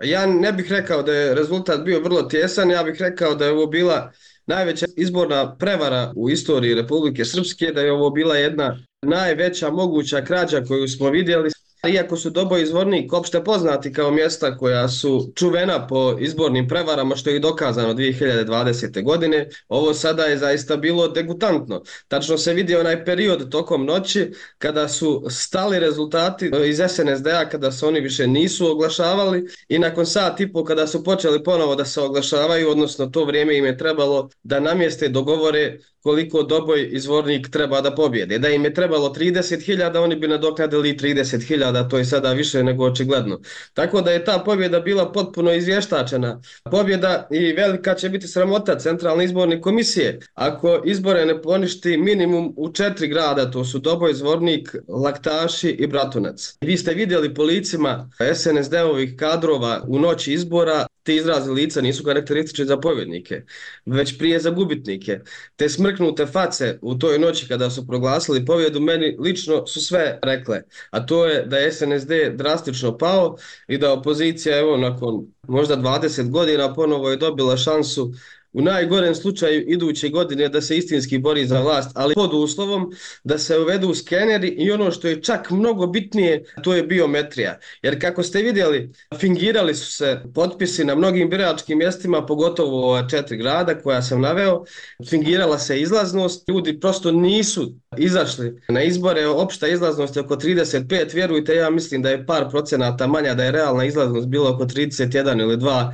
Ja ne bih rekao da je rezultat bio vrlo tjesan, ja bih rekao da je ovo bila najveća izborna prevara u istoriji Republike Srpske, da je ovo bila jedna najveća moguća krađa koju smo vidjeli. Iako su Doboj i Zvornik opšte poznati kao mjesta koja su čuvena po izbornim prevarama, što je i dokazano 2020. godine, ovo sada je zaista bilo degutantno. Tačno se vidi onaj period tokom noći kada su stali rezultati iz SNSD-a, kada se oni više nisu oglašavali, i nakon sat i pol kada su počeli ponovo da se oglašavaju, odnosno to vrijeme im je trebalo da namjeste dogovore koliko Doboj i Zvornik treba da pobjede. Da im je trebalo 30.000, oni bi nadoknadili 30.000, to je sada više nego očigledno. Tako da je ta pobjeda bila potpuno izvještačena pobjeda i velika će biti sramota Centralne izborne komisije ako izbore ne poništi minimum u 4 grada, to su Doboj, Zvornik, Laktaši i Bratunac. Vi ste vidjeli po licima SNSD-ovih kadrova u noći izbora, ti izrazi lica nisu karakteristični za pobjednike, već prije za gubitnike. Te smrknute face u toj noći kada su proglasili pobjedu meni lično su sve rekle, a to je da je SNSD drastično pao i da opozicija, evo, nakon možda 20 godina ponovo je dobila šansu u najgorem slučaju iduće godine da se istinski bori za vlast, ali pod uslovom da se uvedu skeneri i ono što je čak mnogo bitnije, to je biometrija. Jer kako ste vidjeli, fingirali su se potpisi na mnogim biračkim mjestima, pogotovo ova 4 grada koja sam naveo, fingirala se izlaznost, ljudi prosto nisu izašli na izbore, opšta izlaznost je oko 35, vjerujte, ja mislim da je par procenata manja, da je realna izlaznost bila oko 31 ili 2%,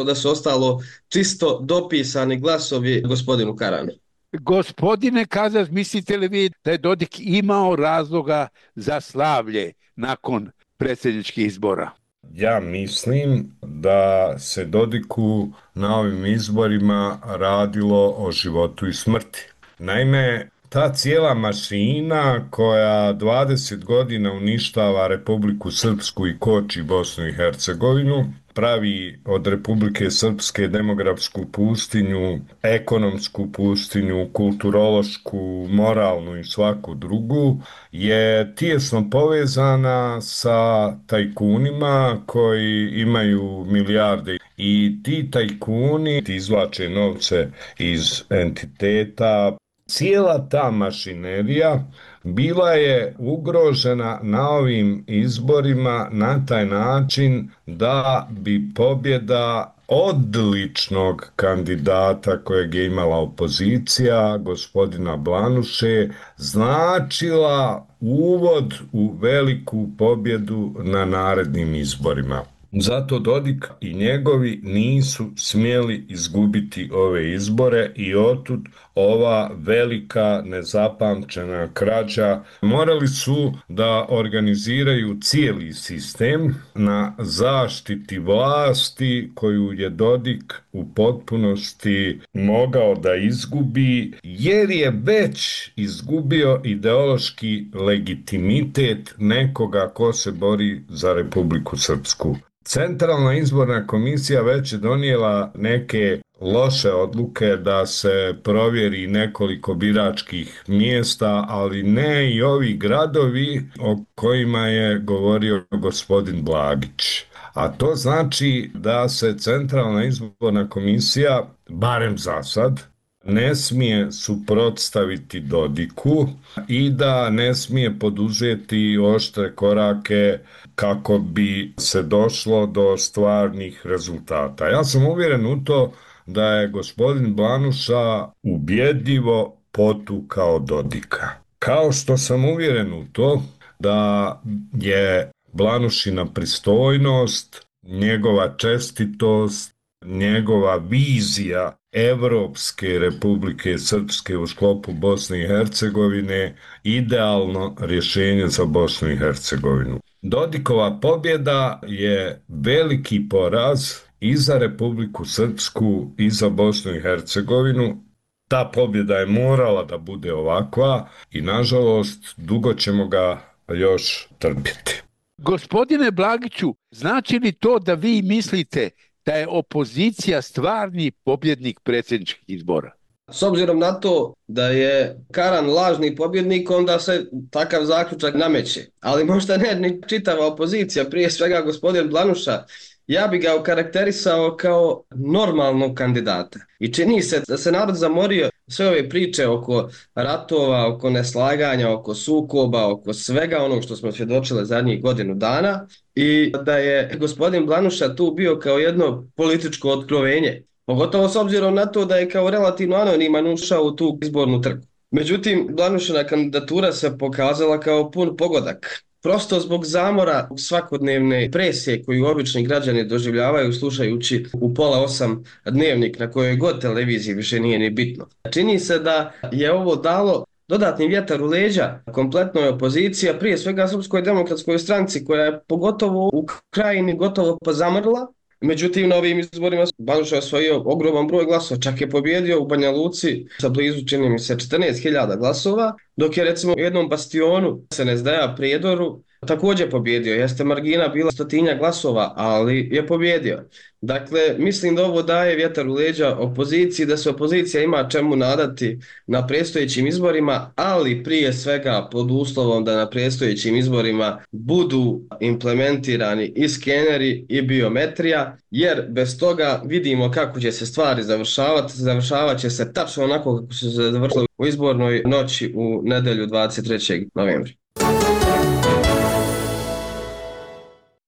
da su ostalo čisto dopisani glasovi gospodinu Karanu. Gospodine Kazas, mislite li vi da je Dodik imao razloga za slavlje nakon predsjedničkih izbora? Ja mislim da se Dodiku na ovim izborima radilo o životu i smrti. Naime, ta cijela mašina koja 20 godina uništava Republiku Srpsku i koči Bosnu i Hercegovinu, pravi od Republike Srpske demografsku pustinju, ekonomsku pustinju, kulturološku, moralnu i svaku drugu, je tijesno povezana sa tajkunima koji imaju milijarde i ti tajkuni izvlače novce iz entiteta. Cijela ta mašinerija bila je ugrožena na ovim izborima na taj način da bi pobjeda odličnog kandidata kojeg je imala opozicija, gospodina Blanuše, značila uvod u veliku pobjedu na narednim izborima. Zato Dodik i njegovi nisu smjeli izgubiti ove izbore i otud ova velika nezapamćena krađa. Morali su da organiziraju cijeli sistem na zaštiti vlasti koju je Dodik u potpunosti mogao da izgubi, jer je već izgubio ideološki legitimitet nekoga ko se bori za Republiku Srpsku. Centralna izborna komisija već je donijela neke loše odluke da se provjeri nekoliko biračkih mjesta, ali ne i ovi gradovi o kojima je govorio gospodin Blagić. A to znači da se Centralna izborna komisija, barem za sad, ne smije suprotstaviti Dodiku i da ne smije poduzeti oštre korake kako bi se došlo do stvarnih rezultata. Ja sam uvjeren u to da je gospodin Blanuša ubjedljivo potukao Dodika. Kao što sam uvjeren u to da je Blanušina pristojnost, njegova čestitost, njegova vizija Evropske Republike Srpske u sklopu Bosne i Hercegovine idealno rješenje za Bosnu i Hercegovinu. Dodikova pobjeda je veliki poraz i za Republiku Srpsku i za Bosnu i Hercegovinu. Ta pobjeda je morala da bude ovakva i nažalost dugo ćemo ga još trpjeti. Gospodine Blagiću, znači li to da vi mislite da je opozicija stvarni pobjednik predsjedničkih izbora? S obzirom na to da je Karan lažni pobjednik, onda se takav zaključak nameće. Ali možda ne ni čitava opozicija, prije svega gospodin Blanuša. Ja bi ga okarakterisao kao normalnog kandidata. I čini se da se narod zamorio sve ove priče oko ratova, oko neslaganja, oko sukoba, oko svega onog što smo svjedočili zadnjih godinu dana i da je gospodin Blanuša tu bio kao jedno političko otkrovenje. Pogotovo s obzirom na to da je kao relativno anoniman ušao u tu izbornu trku. Međutim, Blanušina kandidatura se pokazala kao pun pogodak. Prosto zbog zamora svakodnevne presije koju obični građani doživljavaju slušajući u 7:30 dnevnik na kojoj god televiziji više nije ni bitno. Čini se da je ovo dalo dodatni vjetar u leđa kompletnoj opoziciji, a prije svega Srpskoj demokratskoj stranci koja je pogotovo u Krajini gotovo pa zamrla. Međutim, na ovim izborima Blanuša je osvojio ogroman broj glasova, čak je pobjedio u Banja Luci sa blizu, čini mi se, 14.000 glasova, dok je recimo u jednom bastionu SNSD-a Prijedoru također pobjedio. Jeste margina bila 100 glasova, ali je pobjedio. Dakle, mislim da ovo daje vjetar u leđa opoziciji, da se opozicija ima čemu nadati na predstojećim izborima, ali prije svega pod uslovom da na predstojećim izborima budu implementirani i skeneri i biometrija, jer bez toga vidimo kako će se stvari završavati. Završavat će se tačno onako kako su se završili u izbornoj noći u nedjelju 23. novembra.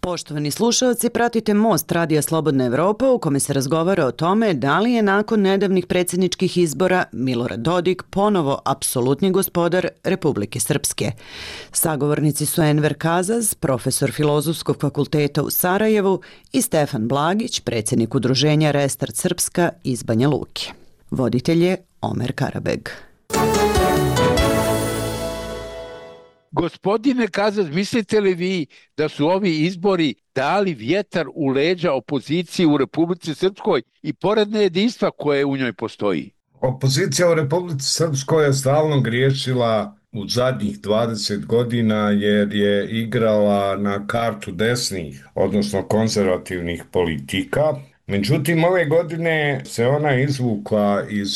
Poštovani slušalci, pratite Most Radija Slobodna Evropa u kome se razgovara o tome da li je nakon nedavnih predsjedničkih izbora Milorad Dodik ponovo apsolutni gospodar Republike Srpske. Sagovornici su Enver Kazaz, profesor Filozofskog fakulteta u Sarajevu i Stefan Blagić, predsjednik udruženja Restart Srpska iz Banja Luke. Voditelj je Omer Karabeg. Gospodine Kazaz, mislite li vi da su ovi izbori dali vjetar u leđa opoziciji u Republici Srpskoj i pored nejedinstva koje u njoj postoji? Opozicija u Republici Srpskoj je stalno griješila u zadnjih 20 godina jer je igrala na kartu desnih, odnosno konzervativnih politika. Međutim, ove godine se ona izvukla iz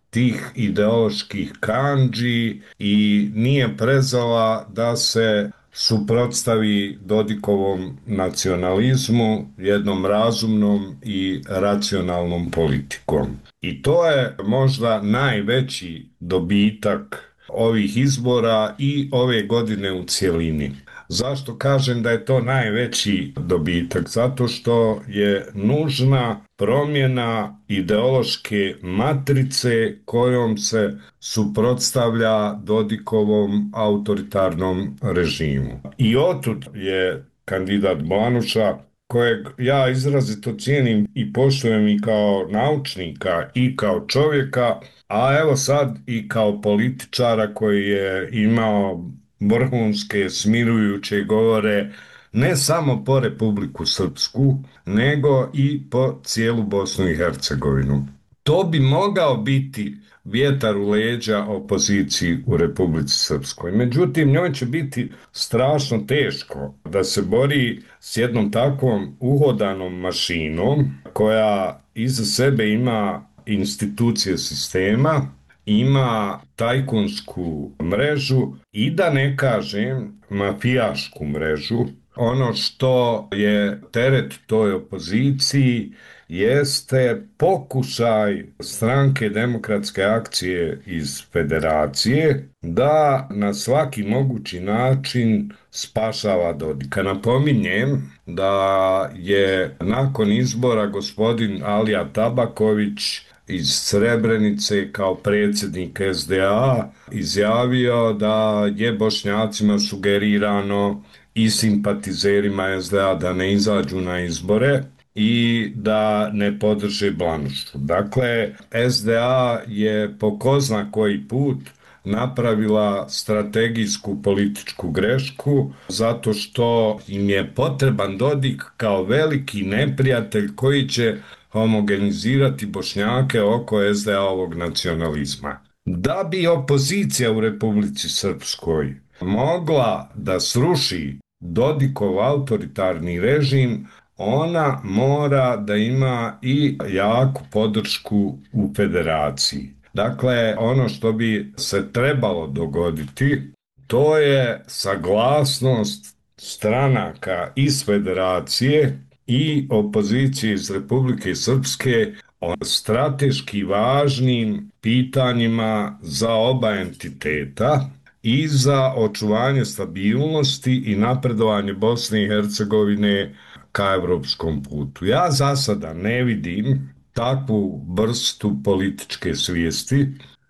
tih ideoloških kandži i nije prezala da se suprotstavi Dodikovom nacionalizmu jednom razumnom i racionalnom politikom. I to je možda najveći dobitak ovih izbora i ove godine u cjelini. Zašto kažem da je to najveći dobitak? Zato što je nužna promjena ideološke matrice kojom se suprotstavlja Dodikovom autoritarnom režimu. I otud je kandidat Blanuša, kojeg ja izrazito cijenim i poštujem i kao naučnika i kao čovjeka, a evo sad i kao političara koji je imao vrhunske smirujuće govore ne samo po Republiku Srpsku, nego i po cijelu Bosnu i Hercegovinu. To bi mogao biti vjetar u leđa opoziciji u Republici Srpskoj. Međutim, njoj će biti strašno teško da se bori s jednom takvom uhodanom mašinom koja iza sebe ima institucije sistema, ima tajkunsku mrežu i da ne kažem mafijašku mrežu. Ono što je teret toj opoziciji jeste pokušaj Stranke demokratske akcije iz Federacije da na svaki mogući način spašava Dodika. Napominjem da je nakon izbora gospodin Alija Tabaković iz Srebrenice kao predsjednik SDA izjavio da je Bošnjacima sugerirano i simpatizerima SDA da ne izađu na izbore i da ne podrže Blanušu. Dakle, SDA je po ko zna koji put napravila strategijsku političku grešku zato što im je potreban Dodik kao veliki neprijatelj koji će homogenizirati Bošnjake oko SDA-ovog nacionalizma. Da bi opozicija u Republici Srpskoj mogla da sruši Dodikov autoritarni režim, ona mora da ima i jaku podršku u Federaciji. Dakle, ono što bi se trebalo dogoditi, to je saglasnost stranaka iz Federacije i opozicije iz Republike Srpske o strateški važnim pitanjima za oba entiteta i za očuvanje stabilnosti i napredovanje Bosne i Hercegovine ka evropskom putu. Ja za sada ne vidim takvu vrstu političke svijesti.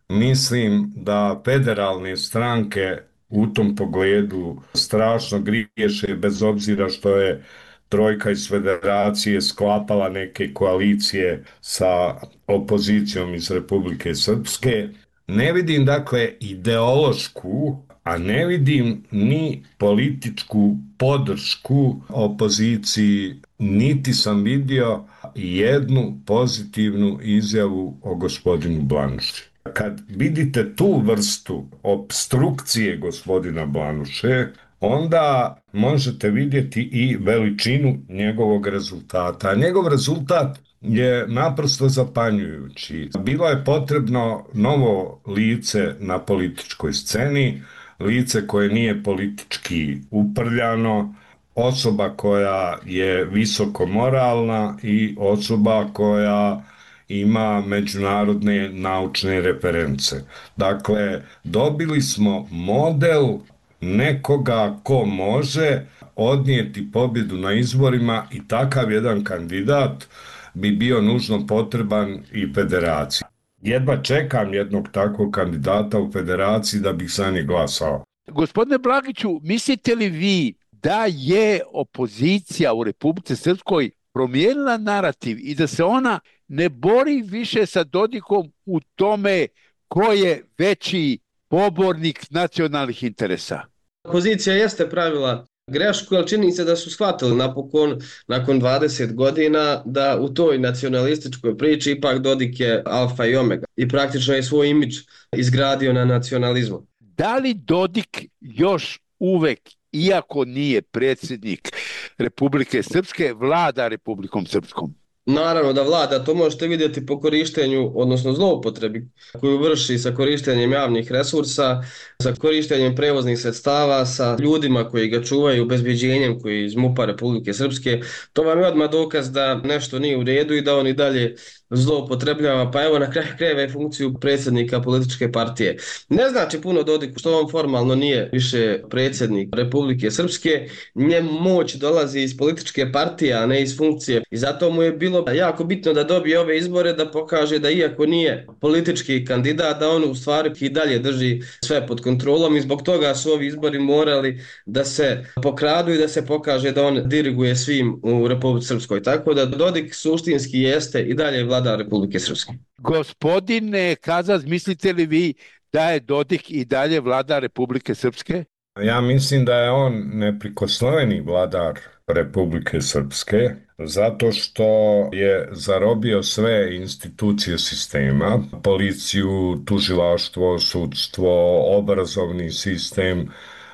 Mislim da federalne stranke u tom pogledu strašno griješe bez obzira što je trojka iz Federacije sklapala neke koalicije sa opozicijom iz Republike Srpske. Ne vidim dakle ideološku, a ne vidim ni političku podršku opoziciji, niti sam vidio jednu pozitivnu izjavu o gospodinu Blanuši. Kad vidite tu vrstu opstrukcije gospodina Blanuše, onda možete vidjeti i veličinu njegovog rezultata. A njegov rezultat je naprosto zapanjujući. Bilo je potrebno novo lice na političkoj sceni, lice koje nije politički uprljano, osoba koja je visoko moralna i osoba koja ima međunarodne naučne reference. Dakle, dobili smo model nekoga ko može odnijeti pobjedu na izborima i takav jedan kandidat bi bio nužno potreban i Federaciji. Jedva čekam jednog takvog kandidata u Federaciji da bih za njeg glasao. Gospodine Blagiću, mislite li vi da je opozicija u Republici Srpskoj promijenila narativ i da se ona ne bori više sa Dodikom u tome ko je veći pobornik nacionalnih interesa? Opozicija jeste pravila grešku, ali čini se da su shvatili napokon, nakon 20 godina, da u toj nacionalističkoj priči ipak Dodik je alfa i omega i praktično je svoj imidž izgradio na nacionalizmu. Da li Dodik još uvek, iako nije predsjednik Republike Srpske, vlada Republikom Srpskom? Naravno da vlada, to možete vidjeti po korištenju, odnosno zloupotrebi koju vrši sa korištenjem javnih resursa, sa korištenjem prevoznih sredstava, sa ljudima koji ga čuvaju, obezbeđenjem koji iz MUP-a Republike Srpske. To vam je odmah dokaz da nešto nije u redu i da on i dalje zloupotrebljava, pa evo na kraju krajeva i funkciju predsjednika političke partije. Ne znači puno Dodiku što on formalno nije više predsjednik Republike Srpske, njemu moć dolazi iz političke partije, a ne iz funkcije i zato mu je bilo jako bitno da dobije ove izbore, da pokaže da iako nije politički kandidat, da on u stvari i dalje drži sve pod kontrolom i zbog toga su ovi izbori morali da se pokradu i da se pokaže da on diriguje svim u Republici Srpskoj. Tako da Dodik suštinski jeste i dalje vlada Republike Srpske. Gospodine Kazaz, mislite li vi da je Dodik i dalje vlada Republike Srpske? Ja mislim da je on neprikosnoveni vladar Republike Srpske zato što je zarobio sve institucije sistema, policiju, tužilaštvo, sudstvo, obrazovni sistem,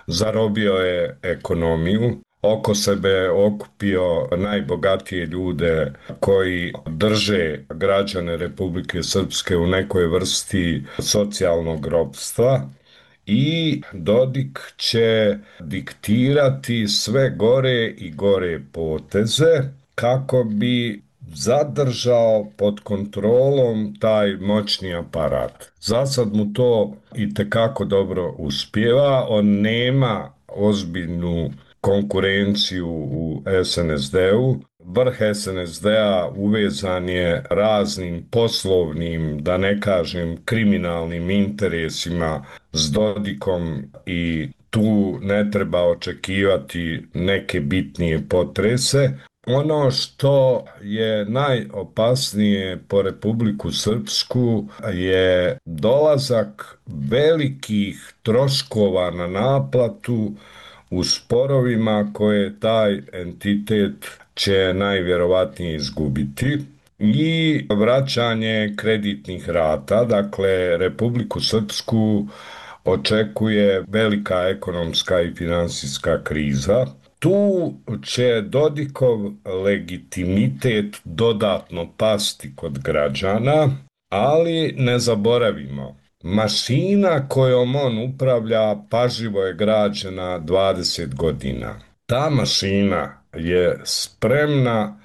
zarobio je ekonomiju, oko sebe okupio najbogatije ljude koji drže građane Republike Srpske u nekoj vrsti socijalnog ropstva i Dodik će diktirati sve gore i gore poteze kako bi zadržao pod kontrolom taj moćni aparat. Za sad mu to itekako dobro uspijeva, on nema ozbiljnu konkurenciju u SNSD-u. Vrh SNSD-a uvezan je raznim poslovnim, da ne kažem kriminalnim interesima s Dodikom i tu ne treba očekivati neke bitnije potrese. Ono što je najopasnije po Republiku Srpsku je dolazak velikih troškova na naplatu u sporovima koje taj entitet će najvjerovatnije izgubiti i vraćanje kreditnih rata. Dakle, Republiku Srpsku očekuje velika ekonomska i finansijska kriza. Tu će Dodikov legitimitet dodatno pasti kod građana, ali ne zaboravimo, mašina kojom on upravlja pažljivo je građena 20 godina. Ta mašina je spremna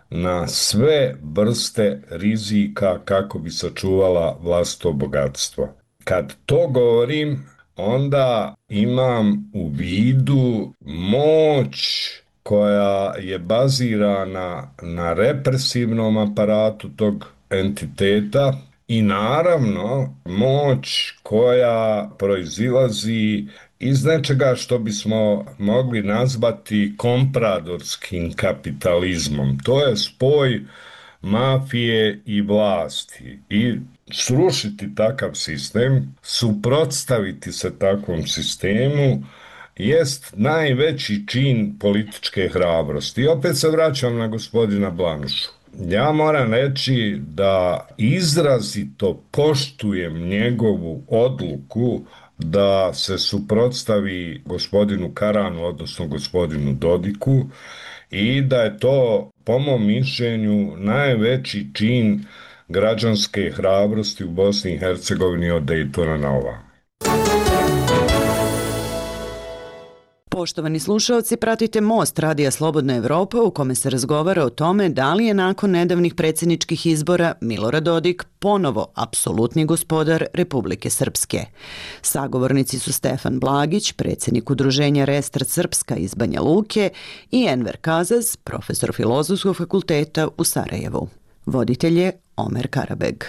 na sve vrste rizika kako bi sačuvala vlastito bogatstvo. Kad to govorim, onda imam u vidu moć koja je bazirana na represivnom aparatu tog entiteta i naravno moć koja proizilazi iz nečega što bismo mogli nazvati kompradorskim kapitalizmom. To je spoj mafije i vlasti i srušiti takav sistem, suprotstaviti se takvom sistemu jest najveći čin političke hrabrosti. I opet se vraćam na gospodina Blanušu. Ja moram reći da izrazito poštujem njegovu odluku da se suprotstavi gospodinu Karanu, odnosno gospodinu Dodiku, i da je to, po mom mišljenju, najveći čin građanske hrabrosti u Bosni i Hercegovini od Dejtona na ovamo. Poštovani slušaoci, pratite Most Radija Slobodna Evropa u kome se razgovara o tome da li je nakon nedavnih predsjedničkih izbora Milorad Dodik ponovo apsolutni gospodar Republike Srpske. Sagovornici su Stefan Blagić, predsjednik udruženja Restart Srpska iz Banja Luke, i Enver Kazaz, profesor Filozofskog fakulteta u Sarajevu. Voditelj je Omer Karabeg.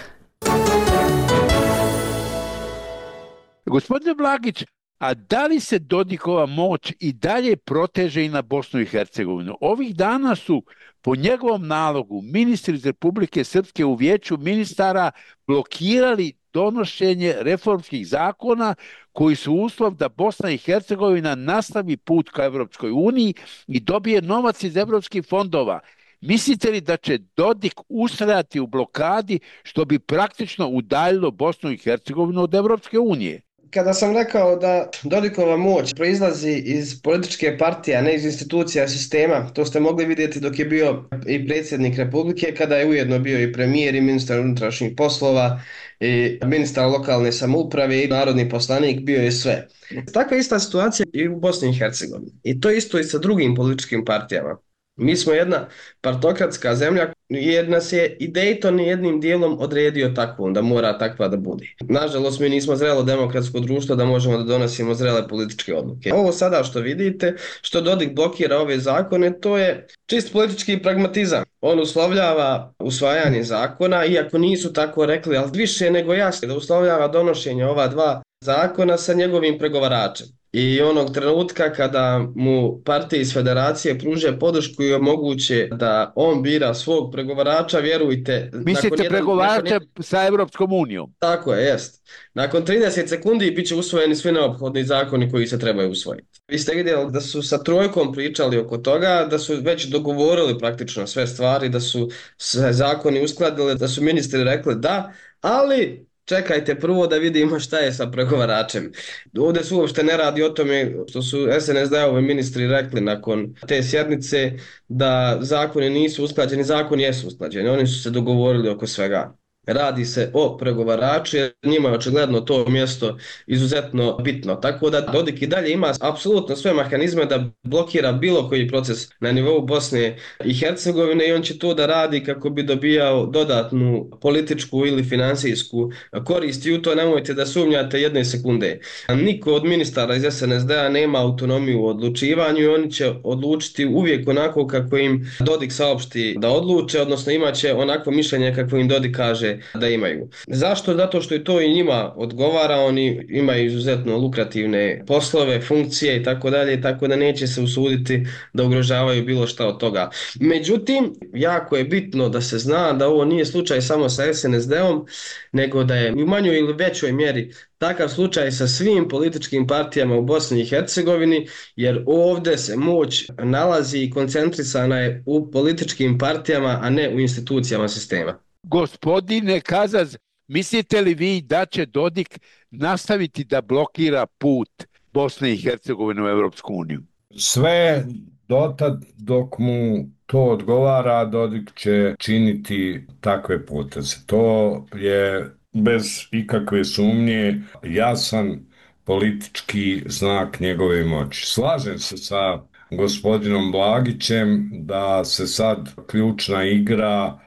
Gospodine Blagić, a da li se Dodikova moć i dalje proteže i na Bosnu i Hercegovinu? Ovih dana su po njegovom nalogu ministri iz Republike Srpske u vijeću ministara blokirali donošenje reformskih zakona koji su uslov da Bosna i Hercegovina nastavi put ka Evropskoj uniji i dobije novac iz evropskih fondova. Mislite li da će Dodik ustrajati u blokadi što bi praktično udaljilo Bosnu i Hercegovinu od Evropske unije? Kada sam rekao da Dodikova moć proizlazi iz političke partije, a ne iz institucija sistema, to ste mogli vidjeti dok je bio i predsjednik Republike, kada je ujedno bio i premijer i ministar unutrašnjih poslova i ministar lokalne samouprave i narodni poslanik, bio je sve. Takva ista situacija i u Bosni i Hercegovini. I to isto i sa drugim političkim partijama. Mi smo jedna partokratska zemlja jer nas je i Dayton jednim dijelom odredio takvom, da mora takva da bude. Nažalost, mi nismo zrelo demokratsko društvo da možemo da donosimo zrele političke odluke. Ovo sada što vidite, što Dodik blokira ove zakone, to je čist politički pragmatizam. On uslovljava usvajanje zakona, iako nisu tako rekli, ali više nego jasno da uslovljava donošenje ova dva zakona sa njegovim pregovaračem. I onog trenutka kada mu partije iz federacije pruže podršku i omoguće da on bira svog pregovarača, vjerujte... Mislite pregovarača sa Evropskom unijom? Tako je, jest. Nakon 30 sekundi bit će usvojeni svi neophodni zakoni koji se trebaju usvojiti. Vi ste vidjeli da su sa Trojkom pričali oko toga, da su već dogovorili praktično sve stvari, da su se zakoni uskladili, da su ministri rekli da, ali... Čekajte prvo da vidimo šta je sa pregovaračem. Ovdje se uopšte ne radi o tome što su SNSD-ovi ministri rekli nakon te sjednice da zakoni nisu usklađeni, zakoni jesu usklađeni, oni su se dogovorili oko svega. Radi se o pregovaraču jer njima je očigledno to mjesto izuzetno bitno. Tako da Dodik i dalje ima apsolutno sve mehanizme da blokira bilo koji proces na nivou Bosne i Hercegovine i on će to da radi kako bi dobijao dodatnu političku ili finansijsku korist i u to nemojte da sumnjate jedne sekunde. Niko od ministara iz SNSD-a nema autonomiju u odlučivanju i oni će odlučiti uvijek onako kako im Dodik saopšti da odluče, odnosno imaće onako mišljenje kako im Dodik kaže da imaju. Zašto? Zato što i to i njima odgovara, oni imaju izuzetno lukrativne poslove, funkcije i tako dalje, tako da neće se usuditi da ugrožavaju bilo šta od toga. Međutim, jako je bitno da se zna da ovo nije slučaj samo sa SNSD-om, nego da je u manjoj ili većoj mjeri takav slučaj sa svim političkim partijama u Bosni i Hercegovini, jer ovdje se moć nalazi i koncentrisana je u političkim partijama, a ne u institucijama sistema. Gospodine Kazaz, mislite li vi da će Dodik nastaviti da blokira put Bosne i Hercegovine u Evropsku uniju? Sve dotad dok mu to odgovara, Dodik će činiti takve poteze. To je bez ikakve sumnje jasan politički znak njegove moći. Slažem se sa gospodinom Blagićem da se sad ključna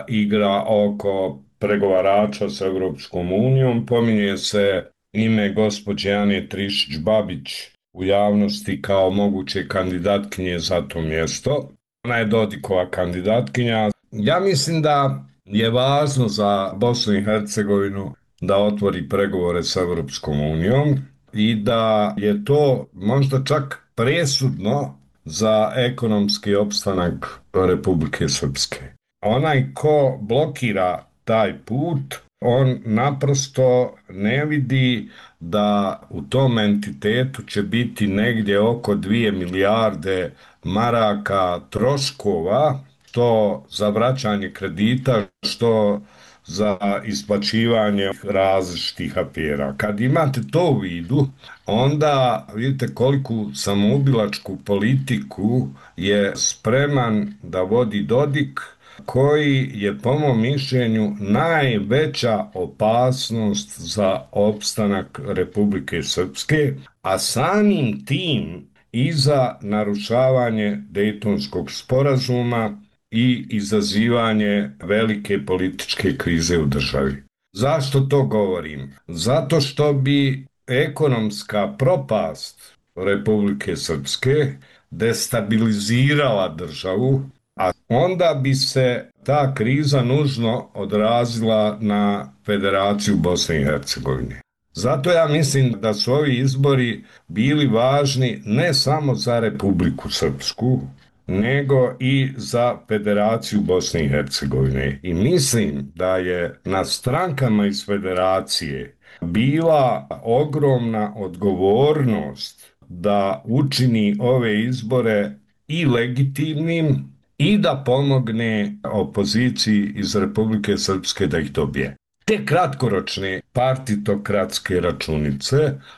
igra oko pregovarača sa Evropskom unijom. Pominje se ime gospođe Ane Trišić-Babić u javnosti kao moguće kandidatkinje za to mjesto. Ona je Dodikova kandidatkinja. Ja mislim da je važno za Bosnu i Hercegovinu da otvori pregovore sa Evropskom unijom i da je to možda čak presudno za ekonomski opstanak Republike Srpske. Onaj ko blokira taj put, on naprosto ne vidi da u tom entitetu će biti negdje oko 2 milijarde maraka troškova, što za vraćanje kredita, što za isplaćivanje različitih afera. Kad imate to u vidu, onda vidite koliku samoubilačku politiku je spreman da vodi Dodik, koji je po mom mišljenju najveća opasnost za opstanak Republike Srpske, a samim tim i za narušavanje Dejtonskog sporazuma i izazivanje velike političke krize u državi. Zašto to govorim? Zato što bi ekonomska propast Republike Srpske destabilizirala državu, a onda bi se ta kriza nužno odrazila na Federaciju Bosne i Hercegovine. Zato ja mislim da su ovi izbori bili važni ne samo za Republiku Srpsku, nego i za Federaciju Bosne i Hercegovine. I mislim da je na strankama iz Federacije bila ogromna odgovornost da učini ove izbore i legitimnim i da pomogne opoziciji iz Republike Srpske da ih dobije. Te kratkoročne partitokratske računice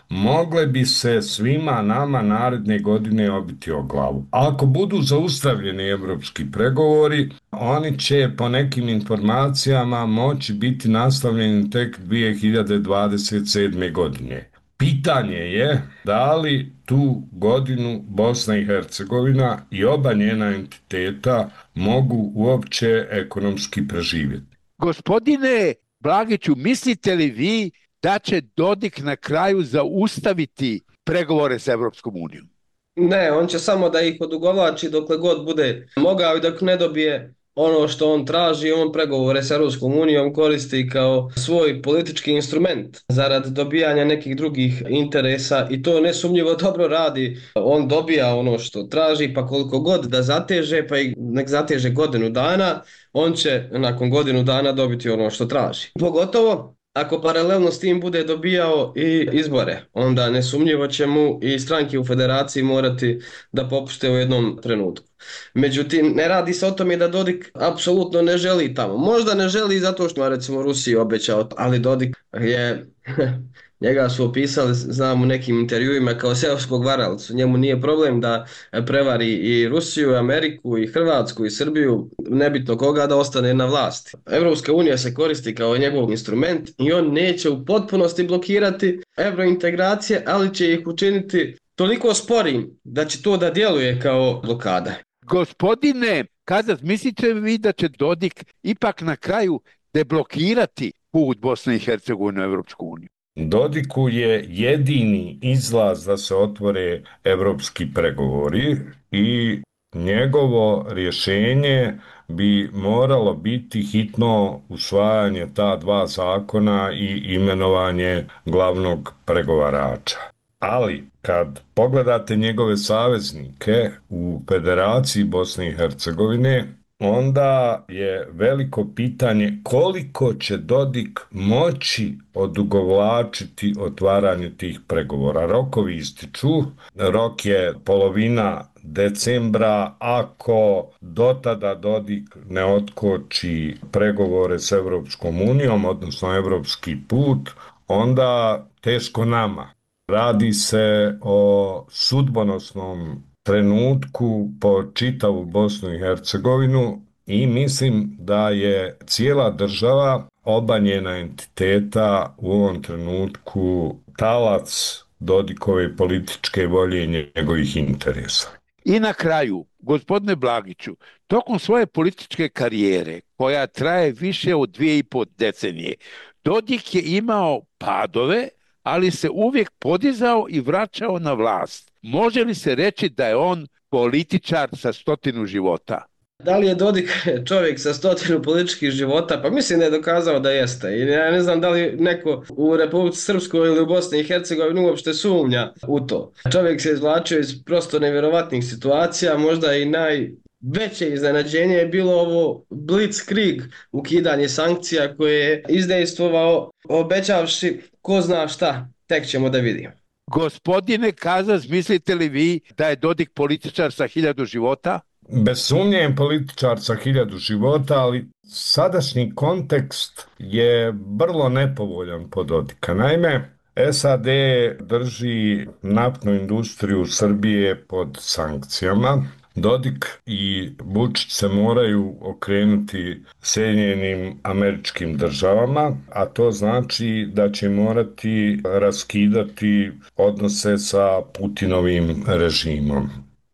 mogle bi se svima nama naredne godine obiti o glavu. Ako budu zaustavljeni evropski pregovori, oni će po nekim informacijama moći biti nastavljeni tek 2027. godine. Pitanje je da li tu godinu Bosna i Hercegovina i oba njena entiteta mogu uopće ekonomski preživjeti. Gospodine Blagiću, mislite li vi da će Dodik na kraju zaustaviti pregovore s Evropskom unijom? Ne, on će samo da ih odugovlači dokle god bude mogao i dok ne dobije ono što on traži. On pregovore s Evropskom unijom koristi kao svoj politički instrument zarad dobijanja nekih drugih interesa i to nesumnjivo dobro radi. On dobija ono što traži, pa koliko god da zateže, pa i nek zateže godinu dana, on će nakon godinu dana dobiti ono što traži. Pogotovo ako paralelno s tim bude dobijao i izbore, onda nesumnjivo će mu i stranke u federaciji morati da popušte u jednom trenutku. Međutim, ne radi se o tome da Dodik apsolutno ne želi tamo. Možda ne želi zato što recimo Rusiji obećao, ali Dodik je... Njega su opisali, znam, u nekim intervjuima kao seoskog varalca. Njemu nije problem da prevari i Rusiju, i Ameriku, i Hrvatsku, i Srbiju, nebitno koga, da ostane na vlasti. Evropska unija se koristi kao njegov instrument i on neće u potpunosti blokirati evrointegracije, ali će ih učiniti toliko sporim da će to da djeluje kao blokada. Gospodine Kazas, mislite li vi da će Dodik ipak na kraju deblokirati put Bosne i Hercegovine u Evropsku uniju? Dodiku je jedini izlaz da se otvore evropski pregovori i njegovo rješenje bi moralo biti hitno usvajanje ta dva zakona i imenovanje glavnog pregovarača. Ali kad pogledate njegove saveznike u Federaciji Bosne i Hercegovine, onda je veliko pitanje koliko će Dodik moći odugovlačiti otvaranje tih pregovora. Rokovi ističu, rok je polovina decembra. Ako do tada Dodik ne otkoči pregovore s Evropskom unijom, odnosno evropski put, onda teško nama. Radi se o sudbonosnom trenutku po čitavu Bosnu i Hercegovinu i mislim da je cijela država, oba njena entiteta u ovom trenutku talac Dodikove političke volje i njegovih interesa. I na kraju, gospodine Blagiću, tokom svoje političke karijere, koja traje više od 2,5 decenije, Dodik je imao padove, ali se uvijek podizao i vraćao na vlast. Može li se reći da je on političar sa 100 života? Da li je Dodik čovjek sa 100 političkih života? Pa mislim da je dokazao da jeste. I ja ne znam da li neko u Republici Srpskoj ili u Bosni i Hercegovini uopšte sumnja u to. Čovjek se izvlačio iz prosto nevjerovatnih situacija, možda i najveće iznenađenje je bilo ovo blitzkrieg, ukidanje sankcija koje je izdejstvovao obećavši ko zna šta, tek ćemo da vidimo. Gospodine Kazas, mislite li vi da je Dodik političar sa 1000 života? Bez sumnje je političar sa 1000 života, ali sadašnji kontekst je vrlo nepovoljan po Dodika. Naime, SAD drži naftnu industriju Srbije pod sankcijama. Dodik i Vučić se moraju okrenuti Sjedinjenim Američkim Državama, a to znači da će morati raskidati odnose sa Putinovim režimom.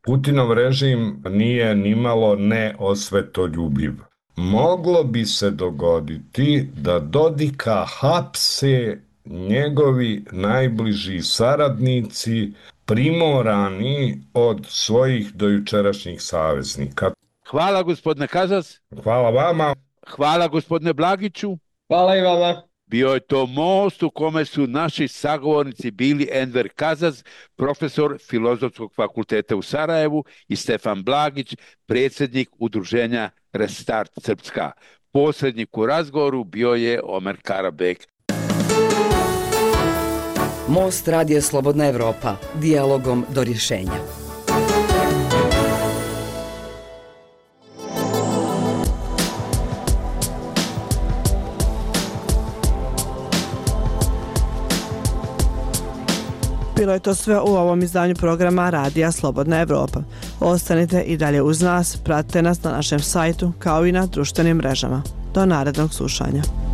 Putinov režim nije nimalo neosvetoljubiv. Moglo bi se dogoditi da Dodika hapse njegovi najbliži saradnici, primorani od svojih dojučerašnjih saveznika. Hvala gospodine Kazas. Hvala vama. Hvala gospodine Blagiću. Hvala i vama. Bio je to most u kome su naši sagovornici bili Enver Kazas, profesor Filozofskog fakulteta u Sarajevu, i Stefan Blagić, predsjednik udruženja Restart Srpska. Posrednik u razgovoru bio je Omer Karabek. Most Radija Slobodna Evropa, dijalogom do rješenja. Bilo je to sve u ovom izdanju programa Radija Slobodna Evropa. Ostanite i dalje uz nas, pratite nas na našem sajtu kao i na društvenim mrežama. Do narednog slušanja.